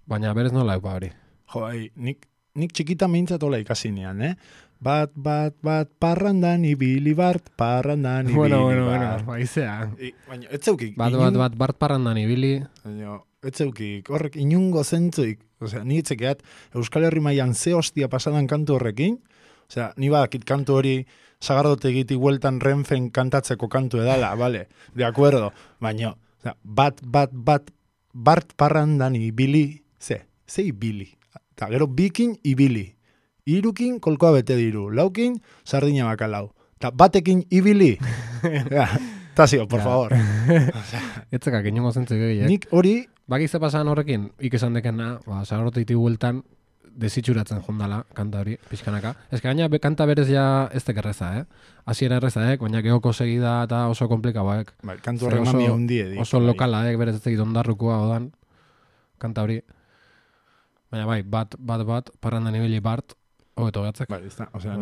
Baina berez nola eupa hori. Jo, nik txikita meintzatola ikasi nian, Bat, parrandan ibili bart, parrandan ibili bart. Bueno, aizea. Baina, ez zeukik. Bart parrandan ibili. Baina, ez zeukik, horrek inungo zentzuik. Osea, ni etzekeat, Euskal Herri mailan ze hostia pasadan kantu horrekin, osea, ni badakit kantu hori sagardotegiti hueltan Renfen kantatzeko kantu edala, vale, de acuerdo, baina, osea, bart parrandan ibili, ze ibili, eta gero bikin ibili. Irukin kolkoa bete diru, laukin sardina bakalau. Ta batekin ibili. Tasio, por favor. Etzekak inongo zentzik egiek. Nik hori... Bakize pasan horrekin, ikesan dekena, zagarroteiti bueltan, desitxuratzen jondala, kanta hori, pixkanaka. Ez que gaina kanta berez ja ez tekerreza, Hasiera erreza, baina geoko segida eta oso komplikaboak. Bai, kantu horren mami hundie. Oso lokala, berez ez egit ondarrukoa odan, kanta hori. Baina bai, bat, parrandan ibili bart, hobeto gatzek. Bai, ez da, osea,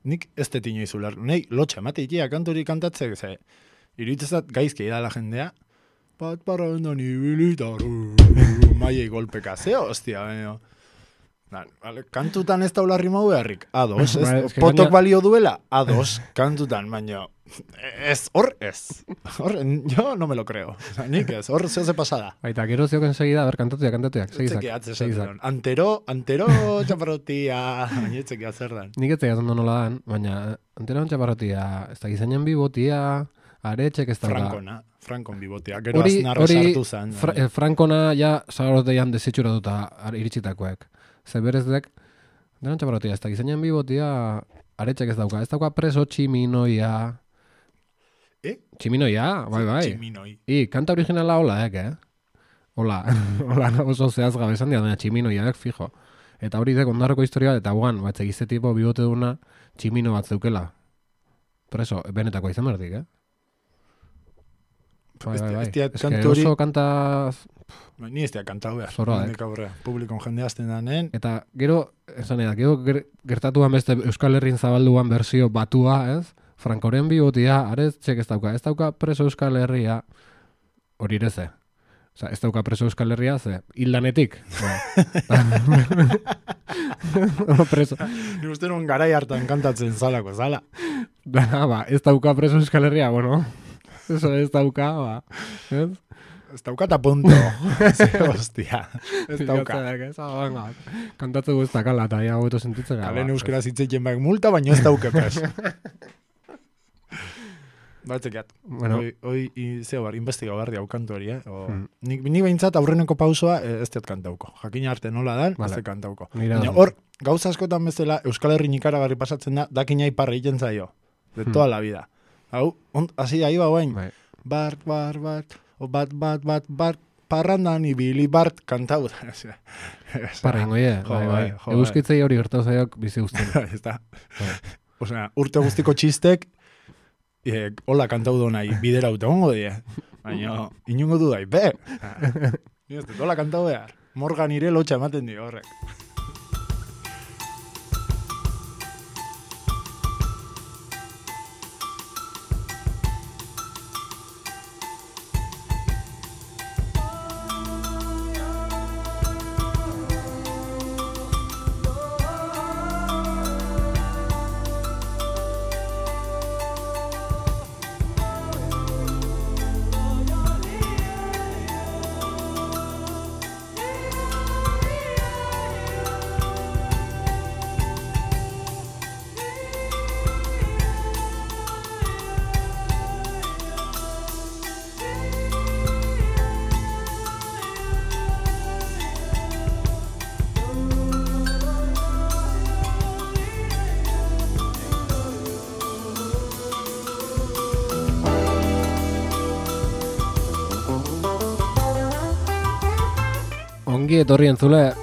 nik ez tetino izular. Nei, lotxa, emate ikia kanturi kantatzek, ze, iruditzezat gaizki idala jendea, bat parrandan ibilitaru, maiei golpeka, ze hostia, baina. Vale, kantutan ez daula rimau beharrik, ados, potok balio duela, ados, kantutan, baina, hor, yo no me lo creo, nik ez, hor zehose pasada. Baita, gero zioken segida, kantatuak, segizak. Antero, txaparrotia, baina etzekia zer dan. Nik etzekia zondo nola dan, baina, antero txaparrotia, ez da gizainen bibotia, aretxek ez da. Frankon bibotia, gero aznarro sartu zen. Frankona ja zagarroteian desitxuratuta iritsitakoek. Zeberezdek, denan txaparrotia, ez da gizainen bibotia, aretxek ez dauka preso tximinoia. Tximinoia, bai. Tximinoi. Kanta originala hola, Hola, oso zehaz gabezan dira, tximinoiak, fijo. Eta hori dek ondarroko historia, eta guan, batzegize tipo bibote duna, tximino bat zeukela. Preso, benetako izan berdik, Bai. Ez que oso kanta... Ni ez kanta behar. Zoroak. Publikon jende azten danen. Eta gero, gertatuan beste Euskal Herrin zabalduan berzio batua, Frankoren bibotia, aretxek ez dauka preso Euskal Herria, hori ireze. Osa, ez dauka preso Euskal Herria, ze, hildanetik. Preso. Ni uste non garai hartan kantatzen zalako, zala. Ez dauka preso Euskal Herria, bueno... Eso ez dauka, Ez dauka eta punto. Hostia. Ez dauka. Kantatze guztak ala, eta ya hobeto sentitzen gara. Kalen euskera zitzeiten baik multa, baina ez dauke pres. Batzekiat. Bueno. Hoi, zeo bar, investiga barri hau kantu hori, Nik behintzat aurreneko pausoa ez teat kantauko. Jakina arte nola dan, ez te kantauko. Hor, gauza askotan bezala, Euskal Herri Nikaragarri pasatzen da, dakina iparra egiten zaio. De toda la vida. Hau, hasi da iba guain. Bart, parrandan ibili bart kantau. Parrengo, bai. Euskitzei hori gertau zaiok bizi guztien. Osea, urte guztiko txistek, hola kantau do nahi, bidera ute hongo die. Baina, inungo du dai, Ni ez dut, hola kantau behar. Morgan ire lotxa ematen dio horrek. Ongi etorri entzule.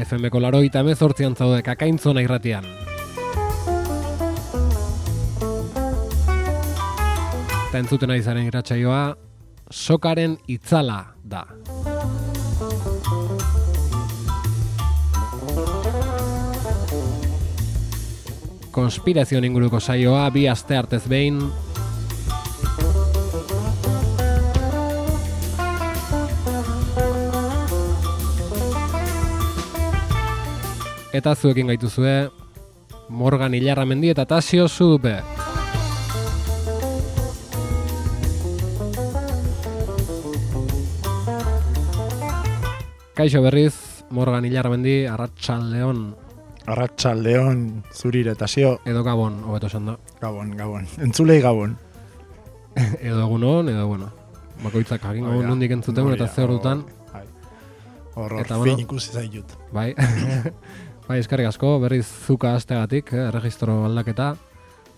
FM-ko 88 zaude Kakaintzona irratian. Eta entzuten ari zaren irratsaioa Sokaren itzala da. Konspirazio inguruko saioa bi aste artez behin. Eta zuekin gaituzue Morgan Ilarramendi eta Tasio Zudupe. Kaixo berriz, Morgan Ilarramendi, Arratsaldeon. Arratsaldeon zurire, Tasio. Edo Gabon, hobeto esan da. Gabon. Entzulei Gabon. Edo egunon, edo bueno. Bakoitzak jakin gabon nondik entzuten, eta ze ordutan. Horror, fin ikusi zaitut. Bai. Bai, eskerrik asko, berriz zuka astegatik, erregistro aldaketa.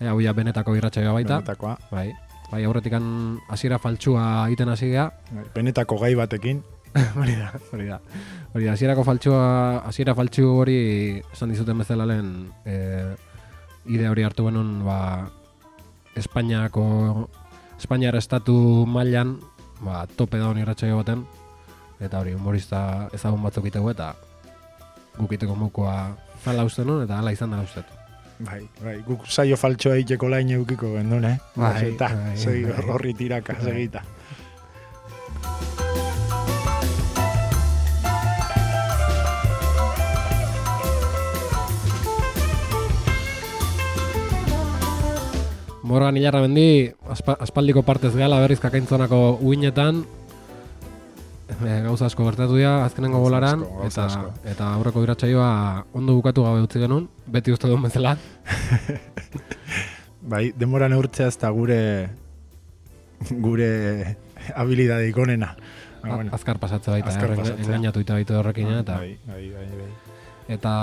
Hau ja benetako irratsaioa baita. Benetakoa. Bai, aurretikan hasiera faltsua egiten hasi gea. Benetako gai batekin. Hori da. Hasiera faltsu hori esan dizuten bezala lehen idea hori hartu genuen Espainiar estatu mailan tope daun irratsaio baten, eta hori humorista ezagun batzuk itegu eta gukiteko mokoa zala uste nun, eta hala izan dela uste. Bai, guk saio faltsoa egiteko lain eukiko gendun, Bai, segi horri tiraka, segita. Morgan Ilarramendi, aspaldiko partez gala berriz kakaintzonako uinetan, gauza asko gertatu dira azkenengo bolaran, eta aurreko irratsaioa ondo bukatu gabe utzi genuen, beti uste duen bezala. Bai, denbora neurtzea ez da gure habilidadeik onena. Azkar pasatze baita, engainatu ita baitu horrekin, eta... Bai. Eta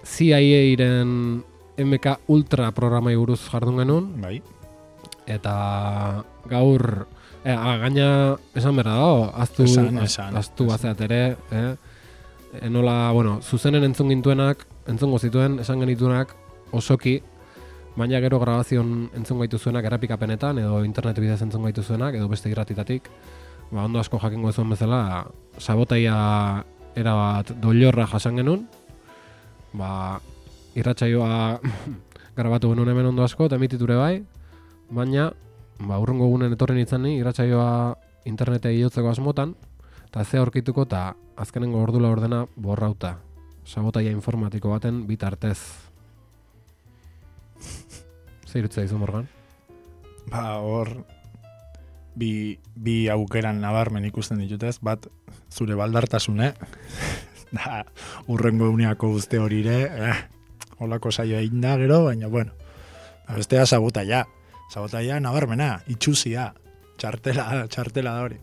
CIA-ren MK Ultra programai buruz jardun genuen. Bai. Eta gaur... gaina esan berra dago, aztu bazeat ere, enola, zuzenen entzungo zituen, esan genituenak osoki, baina gero grabazion entzungo gaituzuenak errepikapenetan, edo internet bidez entzungo gaituzuenak, edo beste irratitatik, ondo asko jakingo zuen bezala, sabotaia erabat doilorra jasan genuen, irratsaioa grabatu genuen hemen ondo asko, eta emititure bai, baina urrungo egunen etorri nintzen ni, irratsaioa internetea iotzeko asmotan, eta ze aurkituko eta azkenengo ordula ordena borrauta. Sabotaia informatiko baten bitartez. Zer irutza izu, Morgan? Hor, bi aukeran nabarmen ikusten ditutez, bat zure baldartasune, da urrengo eguneako guzti horire, holako saioa egin da gero, baina bestea sabotaia. Sabotaia nabarmena, itxusia, txartela da hori.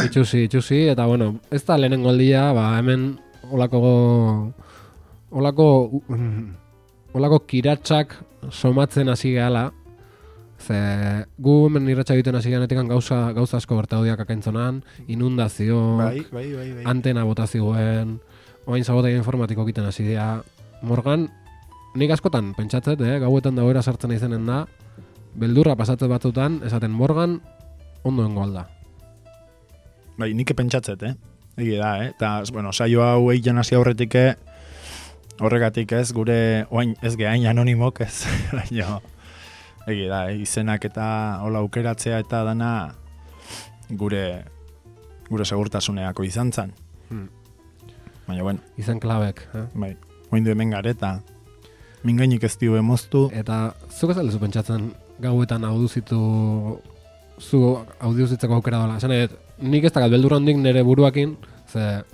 Itxusi, eta ez da lehenengo aldia, hemen olako kiratsak somatzen hasi gehala, ze gu hemen irratsa egiten hasi geanetik gauza asko gertaudiak akaintzonan, inundazioak, bai. antena botazioen, oain sabotaia informatiko egiten hasi dira. Morgan, nik askotan pentsatzet, gauetan dagoera sartzen izenen da, beldurra pasatzet batzutan, esaten Morgan ondoengo alda. Bai, nik pentsatzet, Egi da, eta, saio hau egin hasi aurretik, horregatik ez, gure, oain ez gehain anonimok ez, baina, egi da, izenak eta hola aukeratzea eta dana gure segurtasuneako izan zan. Baina, Izen klabek, Bai, oindu hemen gareta. Mingainik ez dio emoztu. Eta zuk ez aldezu pentsatzen gauetan audiuzitzeko aukera dela. Esan nik ez dakat beldurra hondik nire buruakin, ze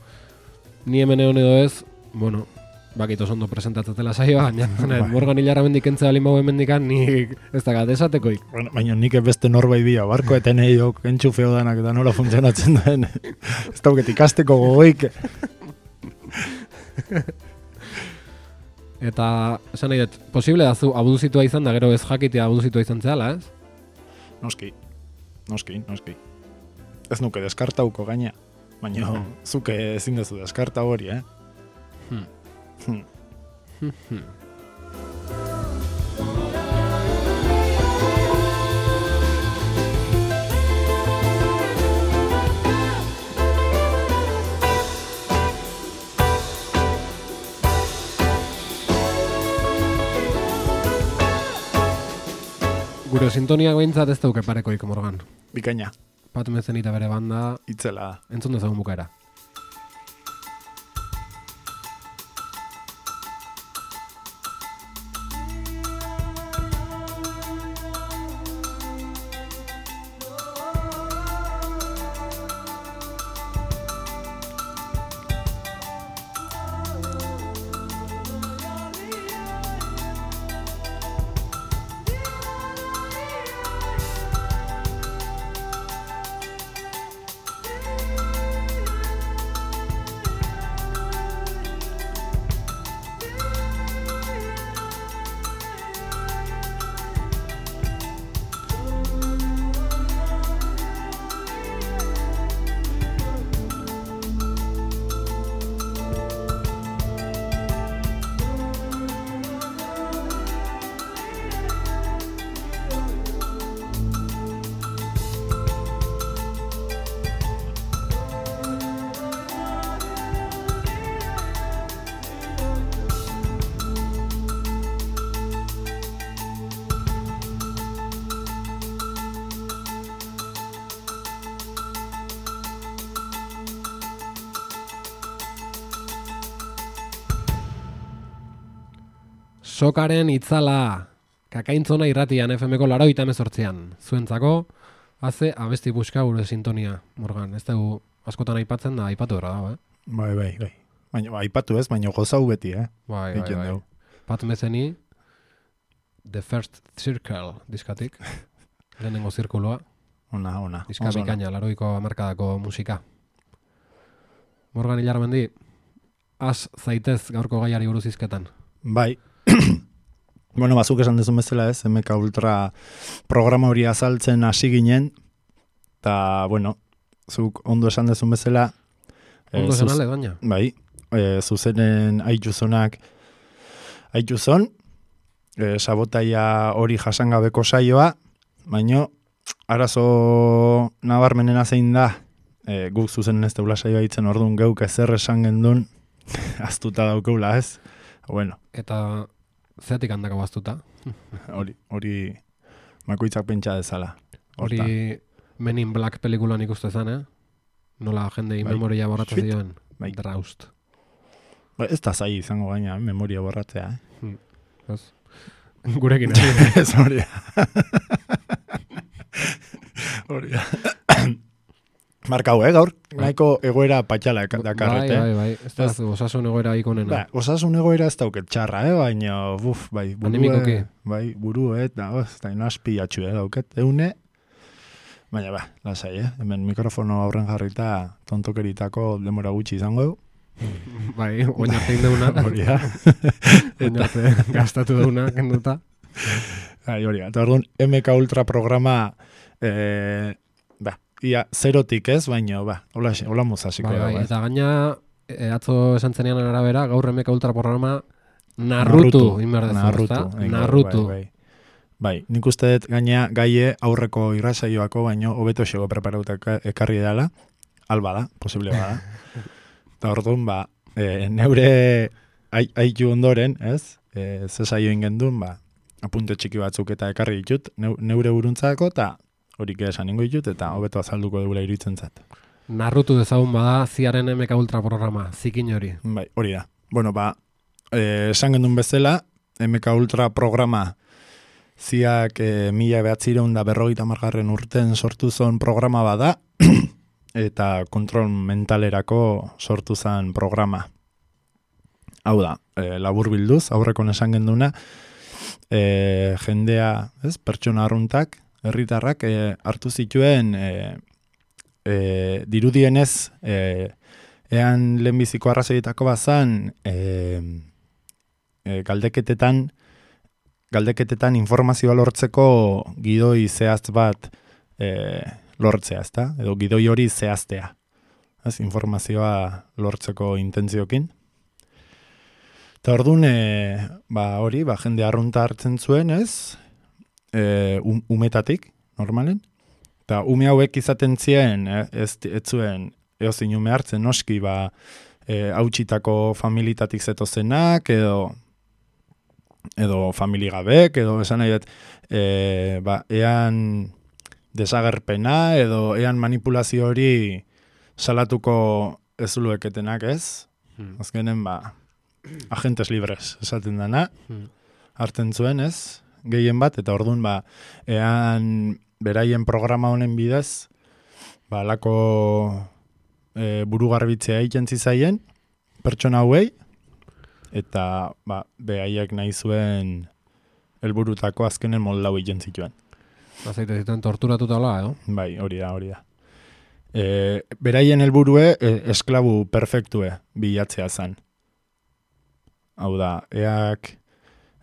ni hemen egon edo ez, bakit oso ondo presentatzatela saioa, baina Morgan Ilarramendi kentzea balin bau hemendikan, nik ez dakat esatekoik. Baina nik beste norbait bia, barko eten eiok, entxufeo danak eta nola funtzionatzen duen. Ez dauket ikasteko gogoik. Eta, esan nahi dut, posible da zu abuduzitua izan da, gero ez jakitea abuduzitua izan zehala, ez? Noski. Ez nuke deskartauko gaina, baina zuke ezin dezu deskarta hori, Gure sintoniak behintzat ez dauke parekoik, Morgan. Bikaina. Pat Mezenita bere banda. Itzela. Entzun dezagun bukaera. Sokaren itzala, kakaintzona irratian FM-ko 88an. Zuentzako, haze abesti buska gure sintonia, Morgan. Ez dugu askotan aipatzen da, aipatu erra dago, Bai. Baina, aipatu ez, baina gozau beti, Bai. Pat Metheny, The First Circle diskatik, lehenengo zirkuloa. Ona. Diska bikaina, 80ko hamarkadako musika. Morgan Ilarmendi, az zaitez gaurko gaiari buruz izketan. Bai. Bueno, bazuk esan dezun bezala ez, MK Ultra programa hori azaltzen hasi ginen, eta, bueno, zuk ondo esan dezun bezala... Ondo esan ale, baina? Bai, zuzenen aituzon, sabotaia hori jasangabeko saioa, baino, arazo nabarmenena zein da, guk zuzenen ez teula saioa itzen orduan geuk ezer esan gendun, aztuta daukeula ez, bueno. Eta zeatik handako baztuta? Hori makoitzak pentsa dezala. Hori Men in Black pelikulan ikuste zen, Nola jendei memoria borratzen zioen. Draust. Ez da zai izango gaina, memoria borratzea, Ez. Gurekin ez hori. Hori. Markau, gaur, nahiko egoera patxala dakarrete. Bai. Ez da osasun egoera ikonena. Osasun egoera ez dauket txarra, baina, bai, buru, eta inazpi atxu, dauket, eune. Baina, lasai, hemen mikrofono aurren jarrita tontokeritako demora gutxi izango. Bai, oinartein deuna. Hori da. Oinarte gastatu deuna, kenduta. Hori da, eta orduan, MK Ultra programa, ia zerotik ez, baina, hola mozasiko. Bai, eta gaina, atzo esan zenean arabera, gaur MK Ultra programa narrutu. Narrutu. Bai, nik uste dut gaina gaie aurreko irrasaioako, baino hobeto xego preparautak ekarri dela, alba da, posible bada. Eta orduan, neure aitu ondoren, ez? Ze saio ingendun, apunte txiki batzuk eta ekarri ditut, neure buruntzako, eta horik esan ingo ditut, eta hobeto azalduko dugula iruditzen zat. Narrutu dezagun bada, ziaren MK Ultra programa, zikin hori. Bai, hori da. Bueno, esan gendun bezala, MK Ultra programa ziak 1950 urten sortu zon programa bada, eta kontrol mentalerako sortu zen programa. Hau da, labur bilduz, aurrekon esan genduna, jendea, pertsona arruntak, herritarrak hartu zituen dirudienez, ean lehenbiziko arrazoietako bazan, galdeketetan informazioa lortzeko gidoi zehaz bat lortzea, ezta? Edo gidoi hori zehaztea. Informazioa lortzeko intentziokin. Eta orduan, hori, jende arrunta hartzen zuen, ez? Umetatik, normalen. Eta ume hauek izaten zien, ez zuen, eozin ume hartzen, noski, hautsitako familitatik zetozenak, edo familigabek, edo esan nahi dut, ean desagerpena, edo ean manipulazio hori salatuko ez zulueketenak, ez? Azkenen, agentes libres esaten dana, hartzen zuen, ez? Gehien bat, eta orduan, ean beraien programa honen bidez, lako burugarbitzea egiten zizaien, pertsona hauei, eta behaiek nahi zuen helburutako azkenen moldau egiten zituen. Azaite zituen torturatuta hola, edo? Bai, hori da. Beraien helburue esklabu perfektue bilatzea zen. Hau da, eak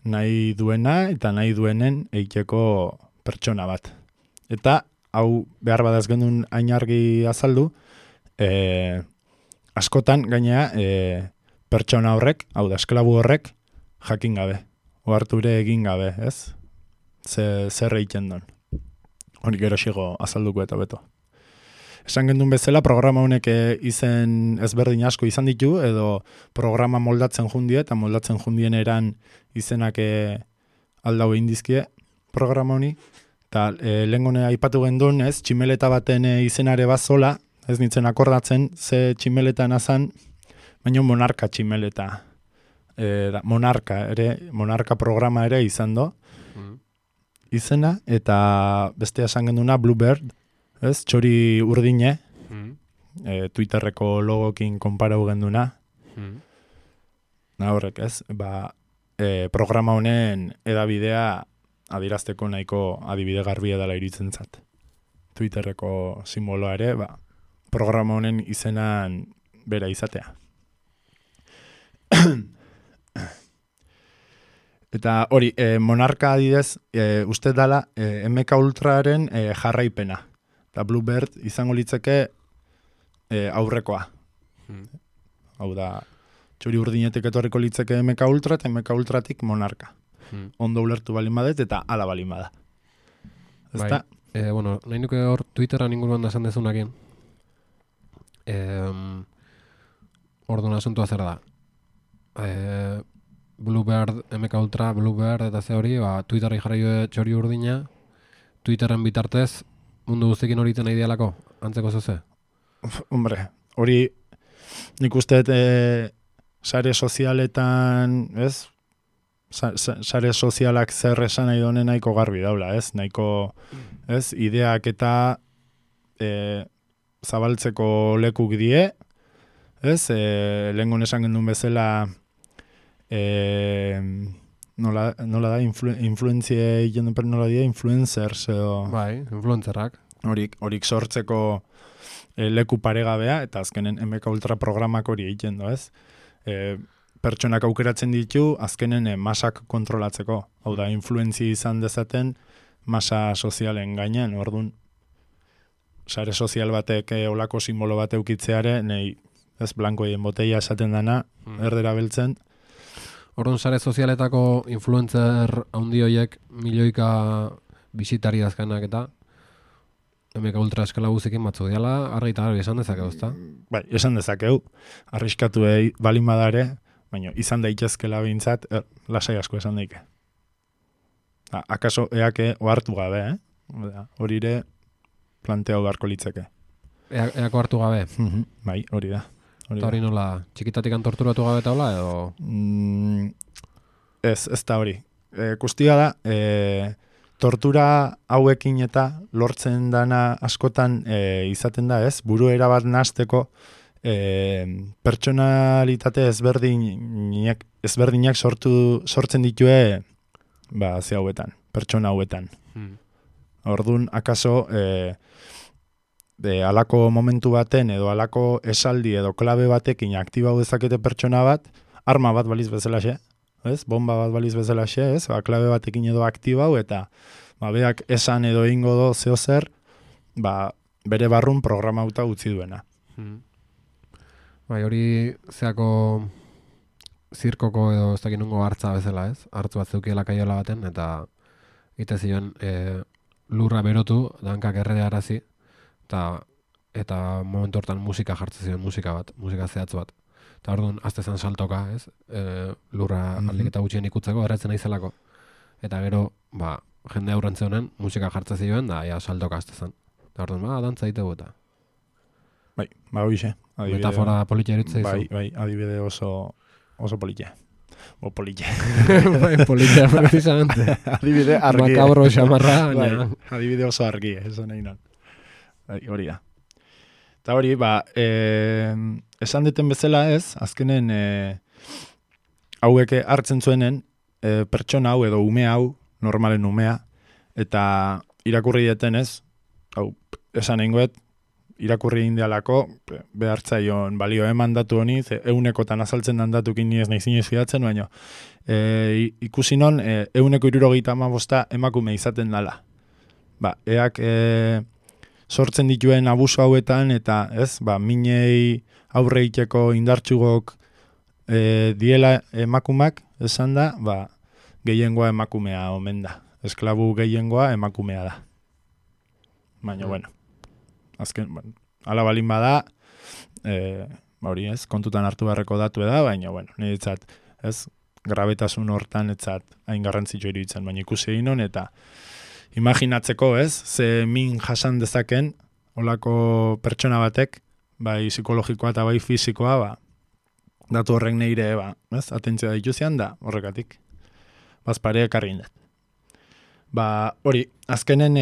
nahi duena eta nahi duenen eiteko pertsona bat. Eta, hau behar badaz gendun ainargi azaldu, askotan gainea, pertsona horrek, hau da, esklabu horrek, jakin gabe. Oharture egin gabe, ez? Zer egiten duen. Hori gero xigo azalduko eta beto. Esan gendun bezala, programa honek izen ezberdin asko izan ditu, edo programa moldatzen jundie, eta moldatzen jundien eran izenak aldau egin dizkie programa honi. Eta lehengone aipatu gendun, ez? Tximeleta baten izenare bat zola, ez nintzen akordatzen, ze tximeleta nazan, baina monarka tximeleta monarka programa ere izan do, izena, eta bestea esan genduna Bluebird, ez, txori urdine, Twitterreko logokin konparau genduna, horrek ez, programa honen edabidea adirazteko nahiko adibide garbia dela iritzen zat. Twitterreko simboloa ere, programa honen izenan bera izatea. Eta hori, monarka adidez, uste dala MK Ultraren jarraipena. Eta Bluebird izango litzeke aurrekoa. Hau da, txori urdinetik etorriko litzeke MK Ultra eta MK Ultratik monarka. Ondo ulertu balin badet eta ala balin bada. Ezta? Bueno, nahi nuke hor Twitteran inguruan da esan dezunakien. Orduan asuntua zer da. Bluebird, MK Ultra, Bluebird eta ze hori, Twitterri jarraio txori urdina, Twitterren bitartez mundu guztekin hori iten idealako, antzeko zuze? Hombre, hori nik uste sare sozialetan, ez? Sare sozialak zer esan nahi donen nahiko garbi daula, ez? Nahiko, ez? Ideak eta zabaltzeko lekuk die, ez? Lehengon esan gendun bezala nola da, influenziei jendeper nola die, influencers edo... Bai, influencerrak. Horik sortzeko leku paregabea, eta azkenen MK Ultra programak hori egiten do, ez? Pertsonak aukeratzen ditu, azkenen masak kontrolatzeko. Hau da, influentzia izan dezaten masa sozialen gainean, orduan sare sozial batek olako simbolo bat eukitzeare, nei, ez, blankoien boteia esaten dana, erdera beltzen. Orduan sare sozialetako influencer handi horiek milioika bisitari dazkanak eta MK Ultra eskala guzikin batzu diala, argi eta garbi esan dezakeu, ezta? Bai, esan dezakeu, arriskatu balin badare, baina izan daitezkela behintzat, lasai asko esan daike. Akaso eake ohartu gabe, hori ere planteau beharko litzeke. Eako hartu gabe? Bai, hori da. Eta hori nola, txikitatikan torturatu gabe eta hola, edo? Ez da hori. Kustia da, tortura hauekin eta lortzen dana askotan izaten da, ez? Buru erabat nahasteko pertsonalitate ezberdinak sortzen ditue ze hauetan, pertsona hauetan. Orduan, akaso alako momentu baten edo alako esaldi edo klabe batekin aktibau dezakete pertsona bat, arma bat baliz bezalaxe, ez? Bomba bat baliz bezalaxe, ez? Klabe batekin edo aktibau eta beak esan edo egingo do zeo zer, bere barrun programauta utzi duena. Bai, hori zeako zirkoko edo ez dakit nungo hartza bezala, ez? Hartzu bat zeukiela kaiola baten, eta ite zion lurra berotu, dankak erredearazi, eta momentu hortan musika jartzen zion, musika zehatz bat. Eta orduan, azte zen saltoka, ez? Lurra aldiketa gutxien ikutzeko, erretzen naizelako. Eta gero, jende aurrentze honen, musika jartzen zioen, da, saltoka azte zen. Eta orduan, dantza ditegu eta. Bai, hoxe. Metafora politia eritzea izu. Bai, adibide oso politia. O politia. Bai, politia, precisamente. Adibide argi. Makabro xamarra. Bai, adibide oso argi, eso nahi non. Bai, hori da. Eta hori, esan deten bezala ez, azkenen hauek hartzen zuenen pertsona hau edo ume hau, normalen umea, eta irakurri deten ez, hau, esan eingoet, irakurri indialako, behartzaion balio mandatu honi, eunekotan azaltzen dan datukin ni ez nahi zinez fidatzen, baina ikusi non, 175 emakume izaten dala. Eak sortzen dituen abuso hauetan, eta ez, minei aurre iteko indartxugok diela emakumak, esan da, gehiengoa emakumea omen da. Esklabu gehiengoa emakumea da. Baina, bueno, azken, ala balin bada, hori ez, kontutan hartu beharreko datu da, baina, bueno, niretzat, ez, grabetasun hortan etzat hain garrantzitsu iruditzen, baina ikusi egin hon, eta imaginatzeko, ez, ze min jasan dezaken, olako pertsona batek, bai psikologikoa eta bai fisikoa, datu horrek neire, atentzioa dituzian da, horrekatik. Bazpare ekarri indet. Hori, azkenen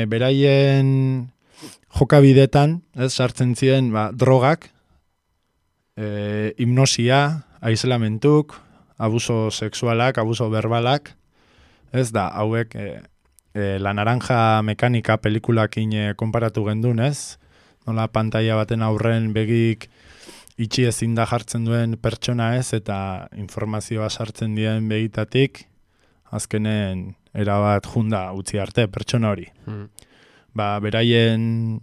beraien jokabidetan, sartzen ziren, drogak, hipnosia, aislamentuk, abuso sexualak, abuso verbalak, hauek La Naranja Mekanika pelikulakin konparatu gendun, nola pantalla baten aurren begik itxi ezin da jartzen duen pertsona eta informazioa sartzen dien begitatik, azkenen erabat junda utzi arte pertsona hori. Beraien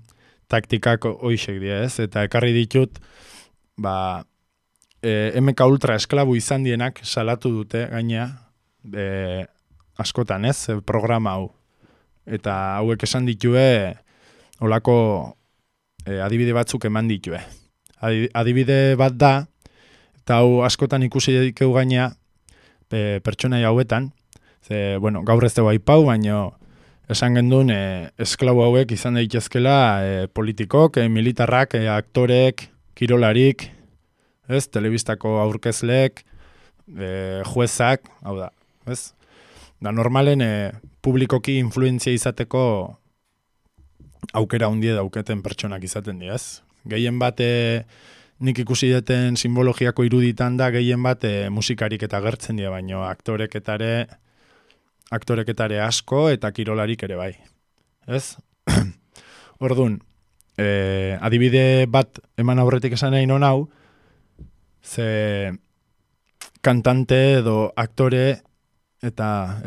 taktikak hoixek dira, eta ekarri ditut, MK Ultra esklabu izan dienak salatu dute gaina, askotan programa hau. Eta hauek esan ditue, olako adibide batzuk eman ditue. Adibide bat da, eta hau askotan ikusi dikeu gaina pertsonai hauetan, gaur ez dugu aipau, baina esan gendun esklabu hauek izan daitezkela politikok, militarrak, aktorek, kirolarik, telebistako aurkezlek, juezak, hau da, Da normalen publikoki influentzia izateko aukera hundie dauketen pertsonak izaten diaz. Gehien bat nik ikusi deten simbologiako iruditan da, gehien bat musikarik eta gertzen dira, baino aktoreketare asko eta kirolarik ere bai. Orduan, adibide bat eman aurretik esan nahi non hau, ze kantante edo aktore eta,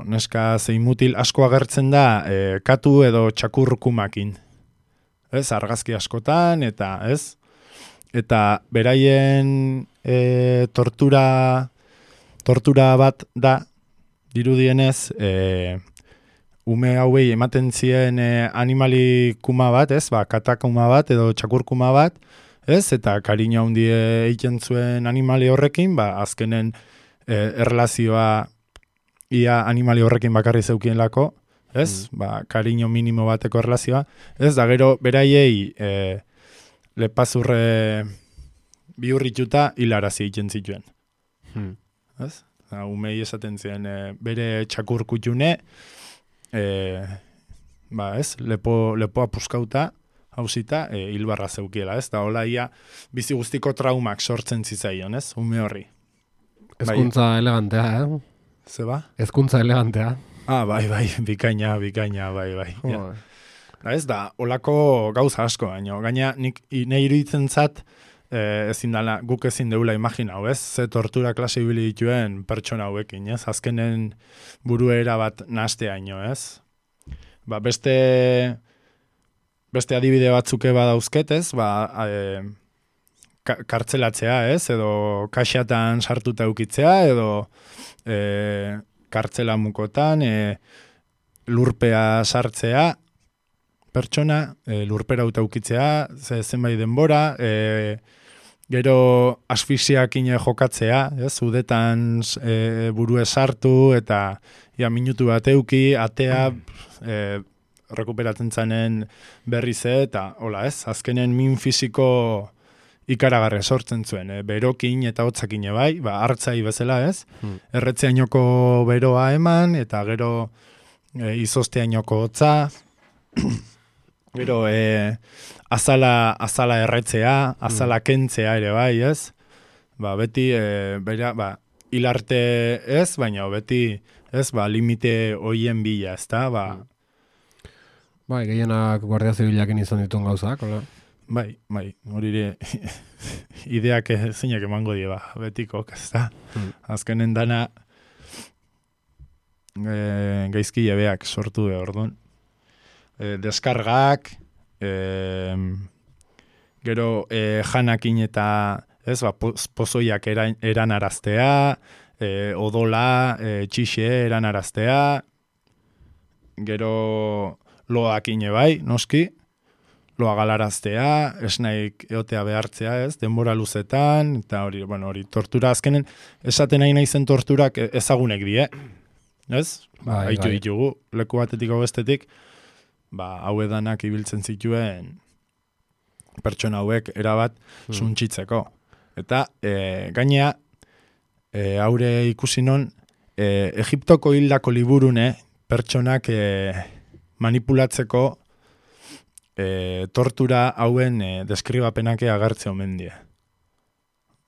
neska zein mutil asko agertzen da katu edo txakurkumakin. Argazki askotan, eta beraien tortura bat da, dirudienez, ume hauei ematen zien animalikuma bat, katakuma bat edo txakurkuma bat, eta kariño handie egiten zuen animali horrekin, azkenen erlazioa ia animali horrekin bakarri zeukien lako, kariño minimo bateko erlazioa, da gero beraiei lepazurre bihurrituta hilarazi egiten zituen. Umei esaten ziren bere txakurkutune, lepoa puskauta, hausita, hilbarra zeukiela, da hola ia bizi guztiko traumak sortzen zitzaion, ume horri. Ezkuntza elegantea, Zeba? Ezkuntza elegantea. Bai, bikaina, bai. Da, olako gauza asko, gaina nik iruditzen zat, guk ezin deula imagina, ze tortura klase ibili dituen pertsona hauekin, azkenen buruera bat nastea ino, beste adibide batzuke badauzket, kartzelatzea, edo kaxatan sartuta eukitzea, edo kartzela mukotan, lurpea sartzea, pertsona, lurpera uta eukitzea, zenbait denbora, gero asfixiakin jokatzea, udetan burue sartu, eta minutu bat euki, atea, rekuperatzen zanen berriz eta, azkenen min fisiko ikaragarre sortzen zuen, berokin eta hotzakin bai, hartzai bezala erretzeainoko beroa eman, eta gero izozteainoko hotza, gero azala erretzea, azala kentzea ere bai, beti, hilarte baina beti, limite hoien bila, gehienak guardia zibilakin izan dituen gauzak, hola? Bai, hori ideak zeinak emango die, betikok, Azkenen dana gaizki jabeak sortu orduan. Deskargak, gero janakin eta pozoiak eranaraztea, odola, txixe eranaraztea, gero loakin bai, noski, loa galaraztea, esnaik eotea behartzea, denbora luzetan, eta hori tortura azkenen, esaten nahi zen torturak ezagunek die, haitu ditugu, leku batetik hau bestetik, hau edanak ibiltzen zituen pertsona hauek erabat suntxitzeko. Eta gainea, haure ikusi non, Egiptoko hildako liburune pertsonak manipulatzeko tortura hauen deskribapenak agertze omen die.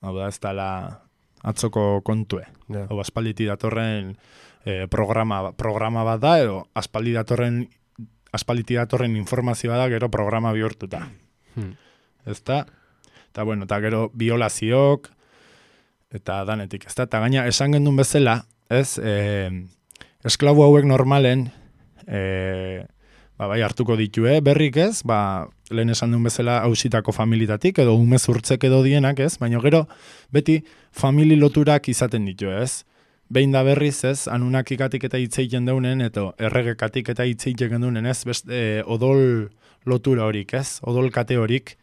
Hau da, ez dela atzoko kontue. Ja. Hau aspalditi datorren programa bat da, edo aspalditi datorren informazioa da, gero programa bihurtuta. Ez da? Eta bueno, eta gero violaziok, eta danetik, ez da? Eta gaina, esan gendun bezala, ez, esklabu hauek normalen, bai hartuko ditue, berrik ez, lehen esan duen bezala hausitako familitatik, edo umezurtzek edo dienak ez, baina gero beti famili loturak izaten ditu ez. Behin da berriz ez, anunakikatik eta hitzeiten deunen, eta erregekatik eta hitzeiten deunen ez, odol lotura horik ez, odol kate horik,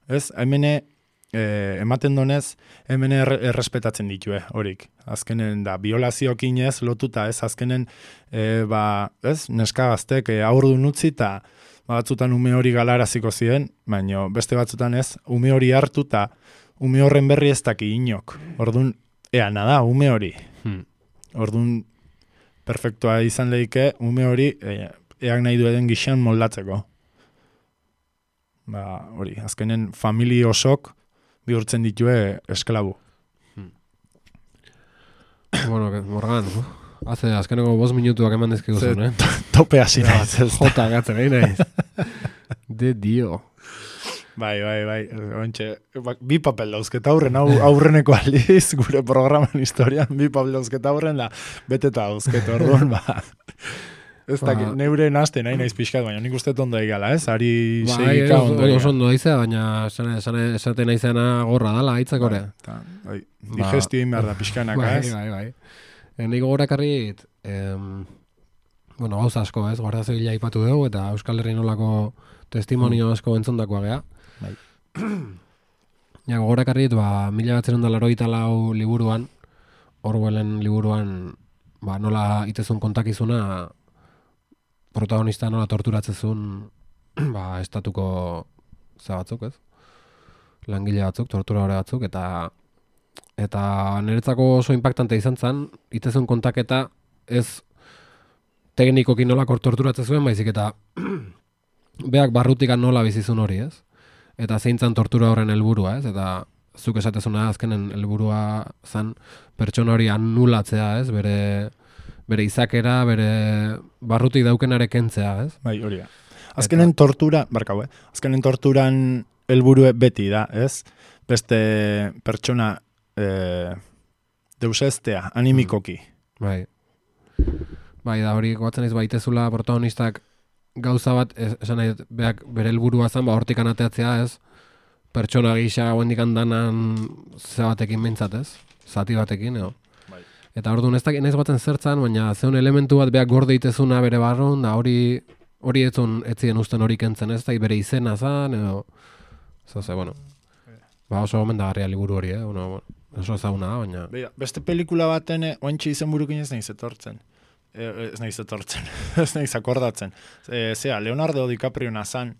ez, hemene ematen donez, hemen errespetatzen ditue horik. Azkenen da, violaziokin ez, lotuta ez, azkenen, ez, neska gaztek aurdun utzi eta batzutan ume hori galaraziko ziren, baina beste batzutan ez, ume hori hartu eta ume horren berri ez daki inok. Orduan, nada, ume hori. Orduan, perfektua izan lehike, ume hori, eak nahi duen gixan moldatzeko. Hori, azkenen famili osok bihurtzen ditue esklabu. Bueno, Morgan, azkeneko 5 minutuak eman dizkigu zuen, Tope hasi naiz. Jota gatzen, naiz. De dio. Bai. Ontxe, bi papel dauzketa aurreneko aldiz, gure programan historian, bi papel dauzketa aurren da, beteta dauzketa orduan, Ez dakit, neure nazte nahi naiz pixkat, baina nik uste ondo egala, ez? Ari segika ondo egala. Oso ondo daizea, baina esate naizena gorra dala, aitzak ore. Digestio inbar da pixkanaka, ez? Bai. Nik gogorakarrit, gauza asko, ez? Guardia Zibila aipatu dugu, eta Euskal Herri nolako testimonio asko entzondakoa gea. Bai. Ja, gogorakarrit, 1984 liburuan, Orwellen liburuan, nola itezun kontakizuna, protagonista nola torturatzezun estatuko batzuk, ez? Langile batzuk, tortura hori batzuk, eta niretzako oso impactante izan zen, itezun kontaketa ez teknikoki nola torturatzezuen, baizik eta beak barrutikan nola bizizun hori, ez? Eta zeintzan tortura horren helburua, ez? Eta zuk esatezuna azkenen helburua zen pertsona hori anulatzea, ez? Bere izakera, bere barrutik daukenare kentzea, ez? Bai, hori da. Azkenen torturan helburue beti da, ez? Beste pertsona deusestea, animikoki. Bai, da hori goatzen ez baitezula protagonistak gauza bat, esan nahi, bere helburua zen, hortik anateatzea, ez? Pertsona gisa guendik andanan batekin mintzat, ez? Zati batekin, edo? Eta orduan ez dakit naiz baten zertzan, baina zeun elementu bat beak gorde itezuna bere barron, da hori etzien usten hori kentzen ez, da bere izena zan, edo... bueno. Oso gomendagarria liburu hori, oso ezaguna da, baina... Beira, beste pelikula baten, oantxe izen burukin ez naiz etortzen. Ez naiz akordatzen. Leonardo DiCaprio nazan,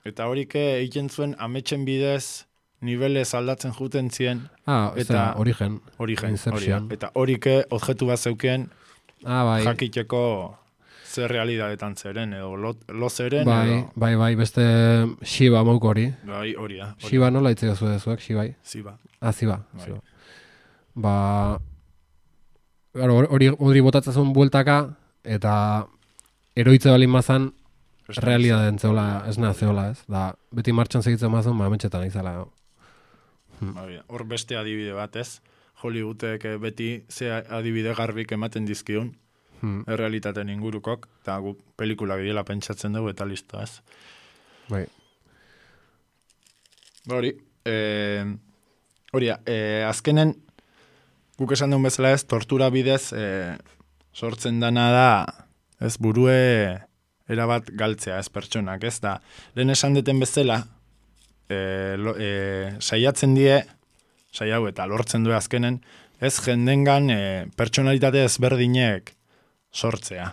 eta horik egiten zuen ametsen bidez, nivelez aldatzen juten zien. Eta Origen. Hori eta horike objektu bat zeuken jakiteko zer realidadetan zeren, edo lo zeren. Bai, beste Shiba mouk hori. Bai, hori da. Shiba nola itzeko zuek, Shibai? Ziba. Ziba. Hori botatzen bueltaka, eta eroitze balin mazan, realidaden zeola, ez zeola, ez? Da, beti martxan segitzen mazun, ametxetan izala. Hor beste adibide bat, ez? Hollywoodek beti ze adibide garbik ematen dizkiun, errealitaten ingurukok, eta gu pelikulak diela pentsatzen dugu, eta listo, ez? Bai. Azkenen, guk esan duen bezala ez, tortura bidez sortzen dana da, ez, burue erabat galtzea, ez, pertsonak, ez, da, lehen esan deten bezala, saiatzen die, saiau eta lortzen du azkenen, ez jendengan pertsonalitate ezberdinek sortzea.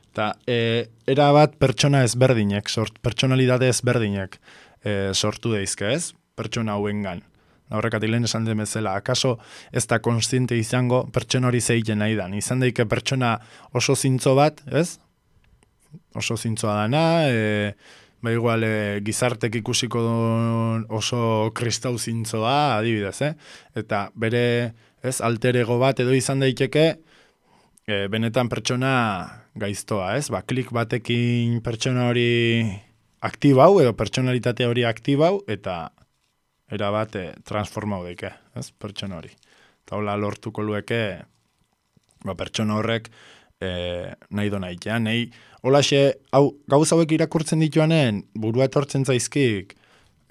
Eta erabat pertsona ezberdinek, pertsonalitate ezberdinek sortu deizke, ez? Pertsona hauengan. Horrekatik lehen esan den bezala, akaso ez da konstiente izango pertsona hori zeiten nahi dan. Izan daike pertsona oso zintzo bat, ez? Oso zintzoa dana, ba igual gizartek ikusiko oso kristau zintzoa, adibidez, eta bere, ez, alter ego bat edo izan daiteke, benetan pertsona gaiztoa, ez? Ba, klik batekin pertsona hori aktibau, edo pertsonalitate hori aktibau, eta erabat transformau daike, ez? Pertsona hori. Eta hola lortuko lueke, ba, pertsona horrek nahi do nahi, nahi, holaxe, gauz hauek irakurtzen dituanen, burua etortzen zaizkik,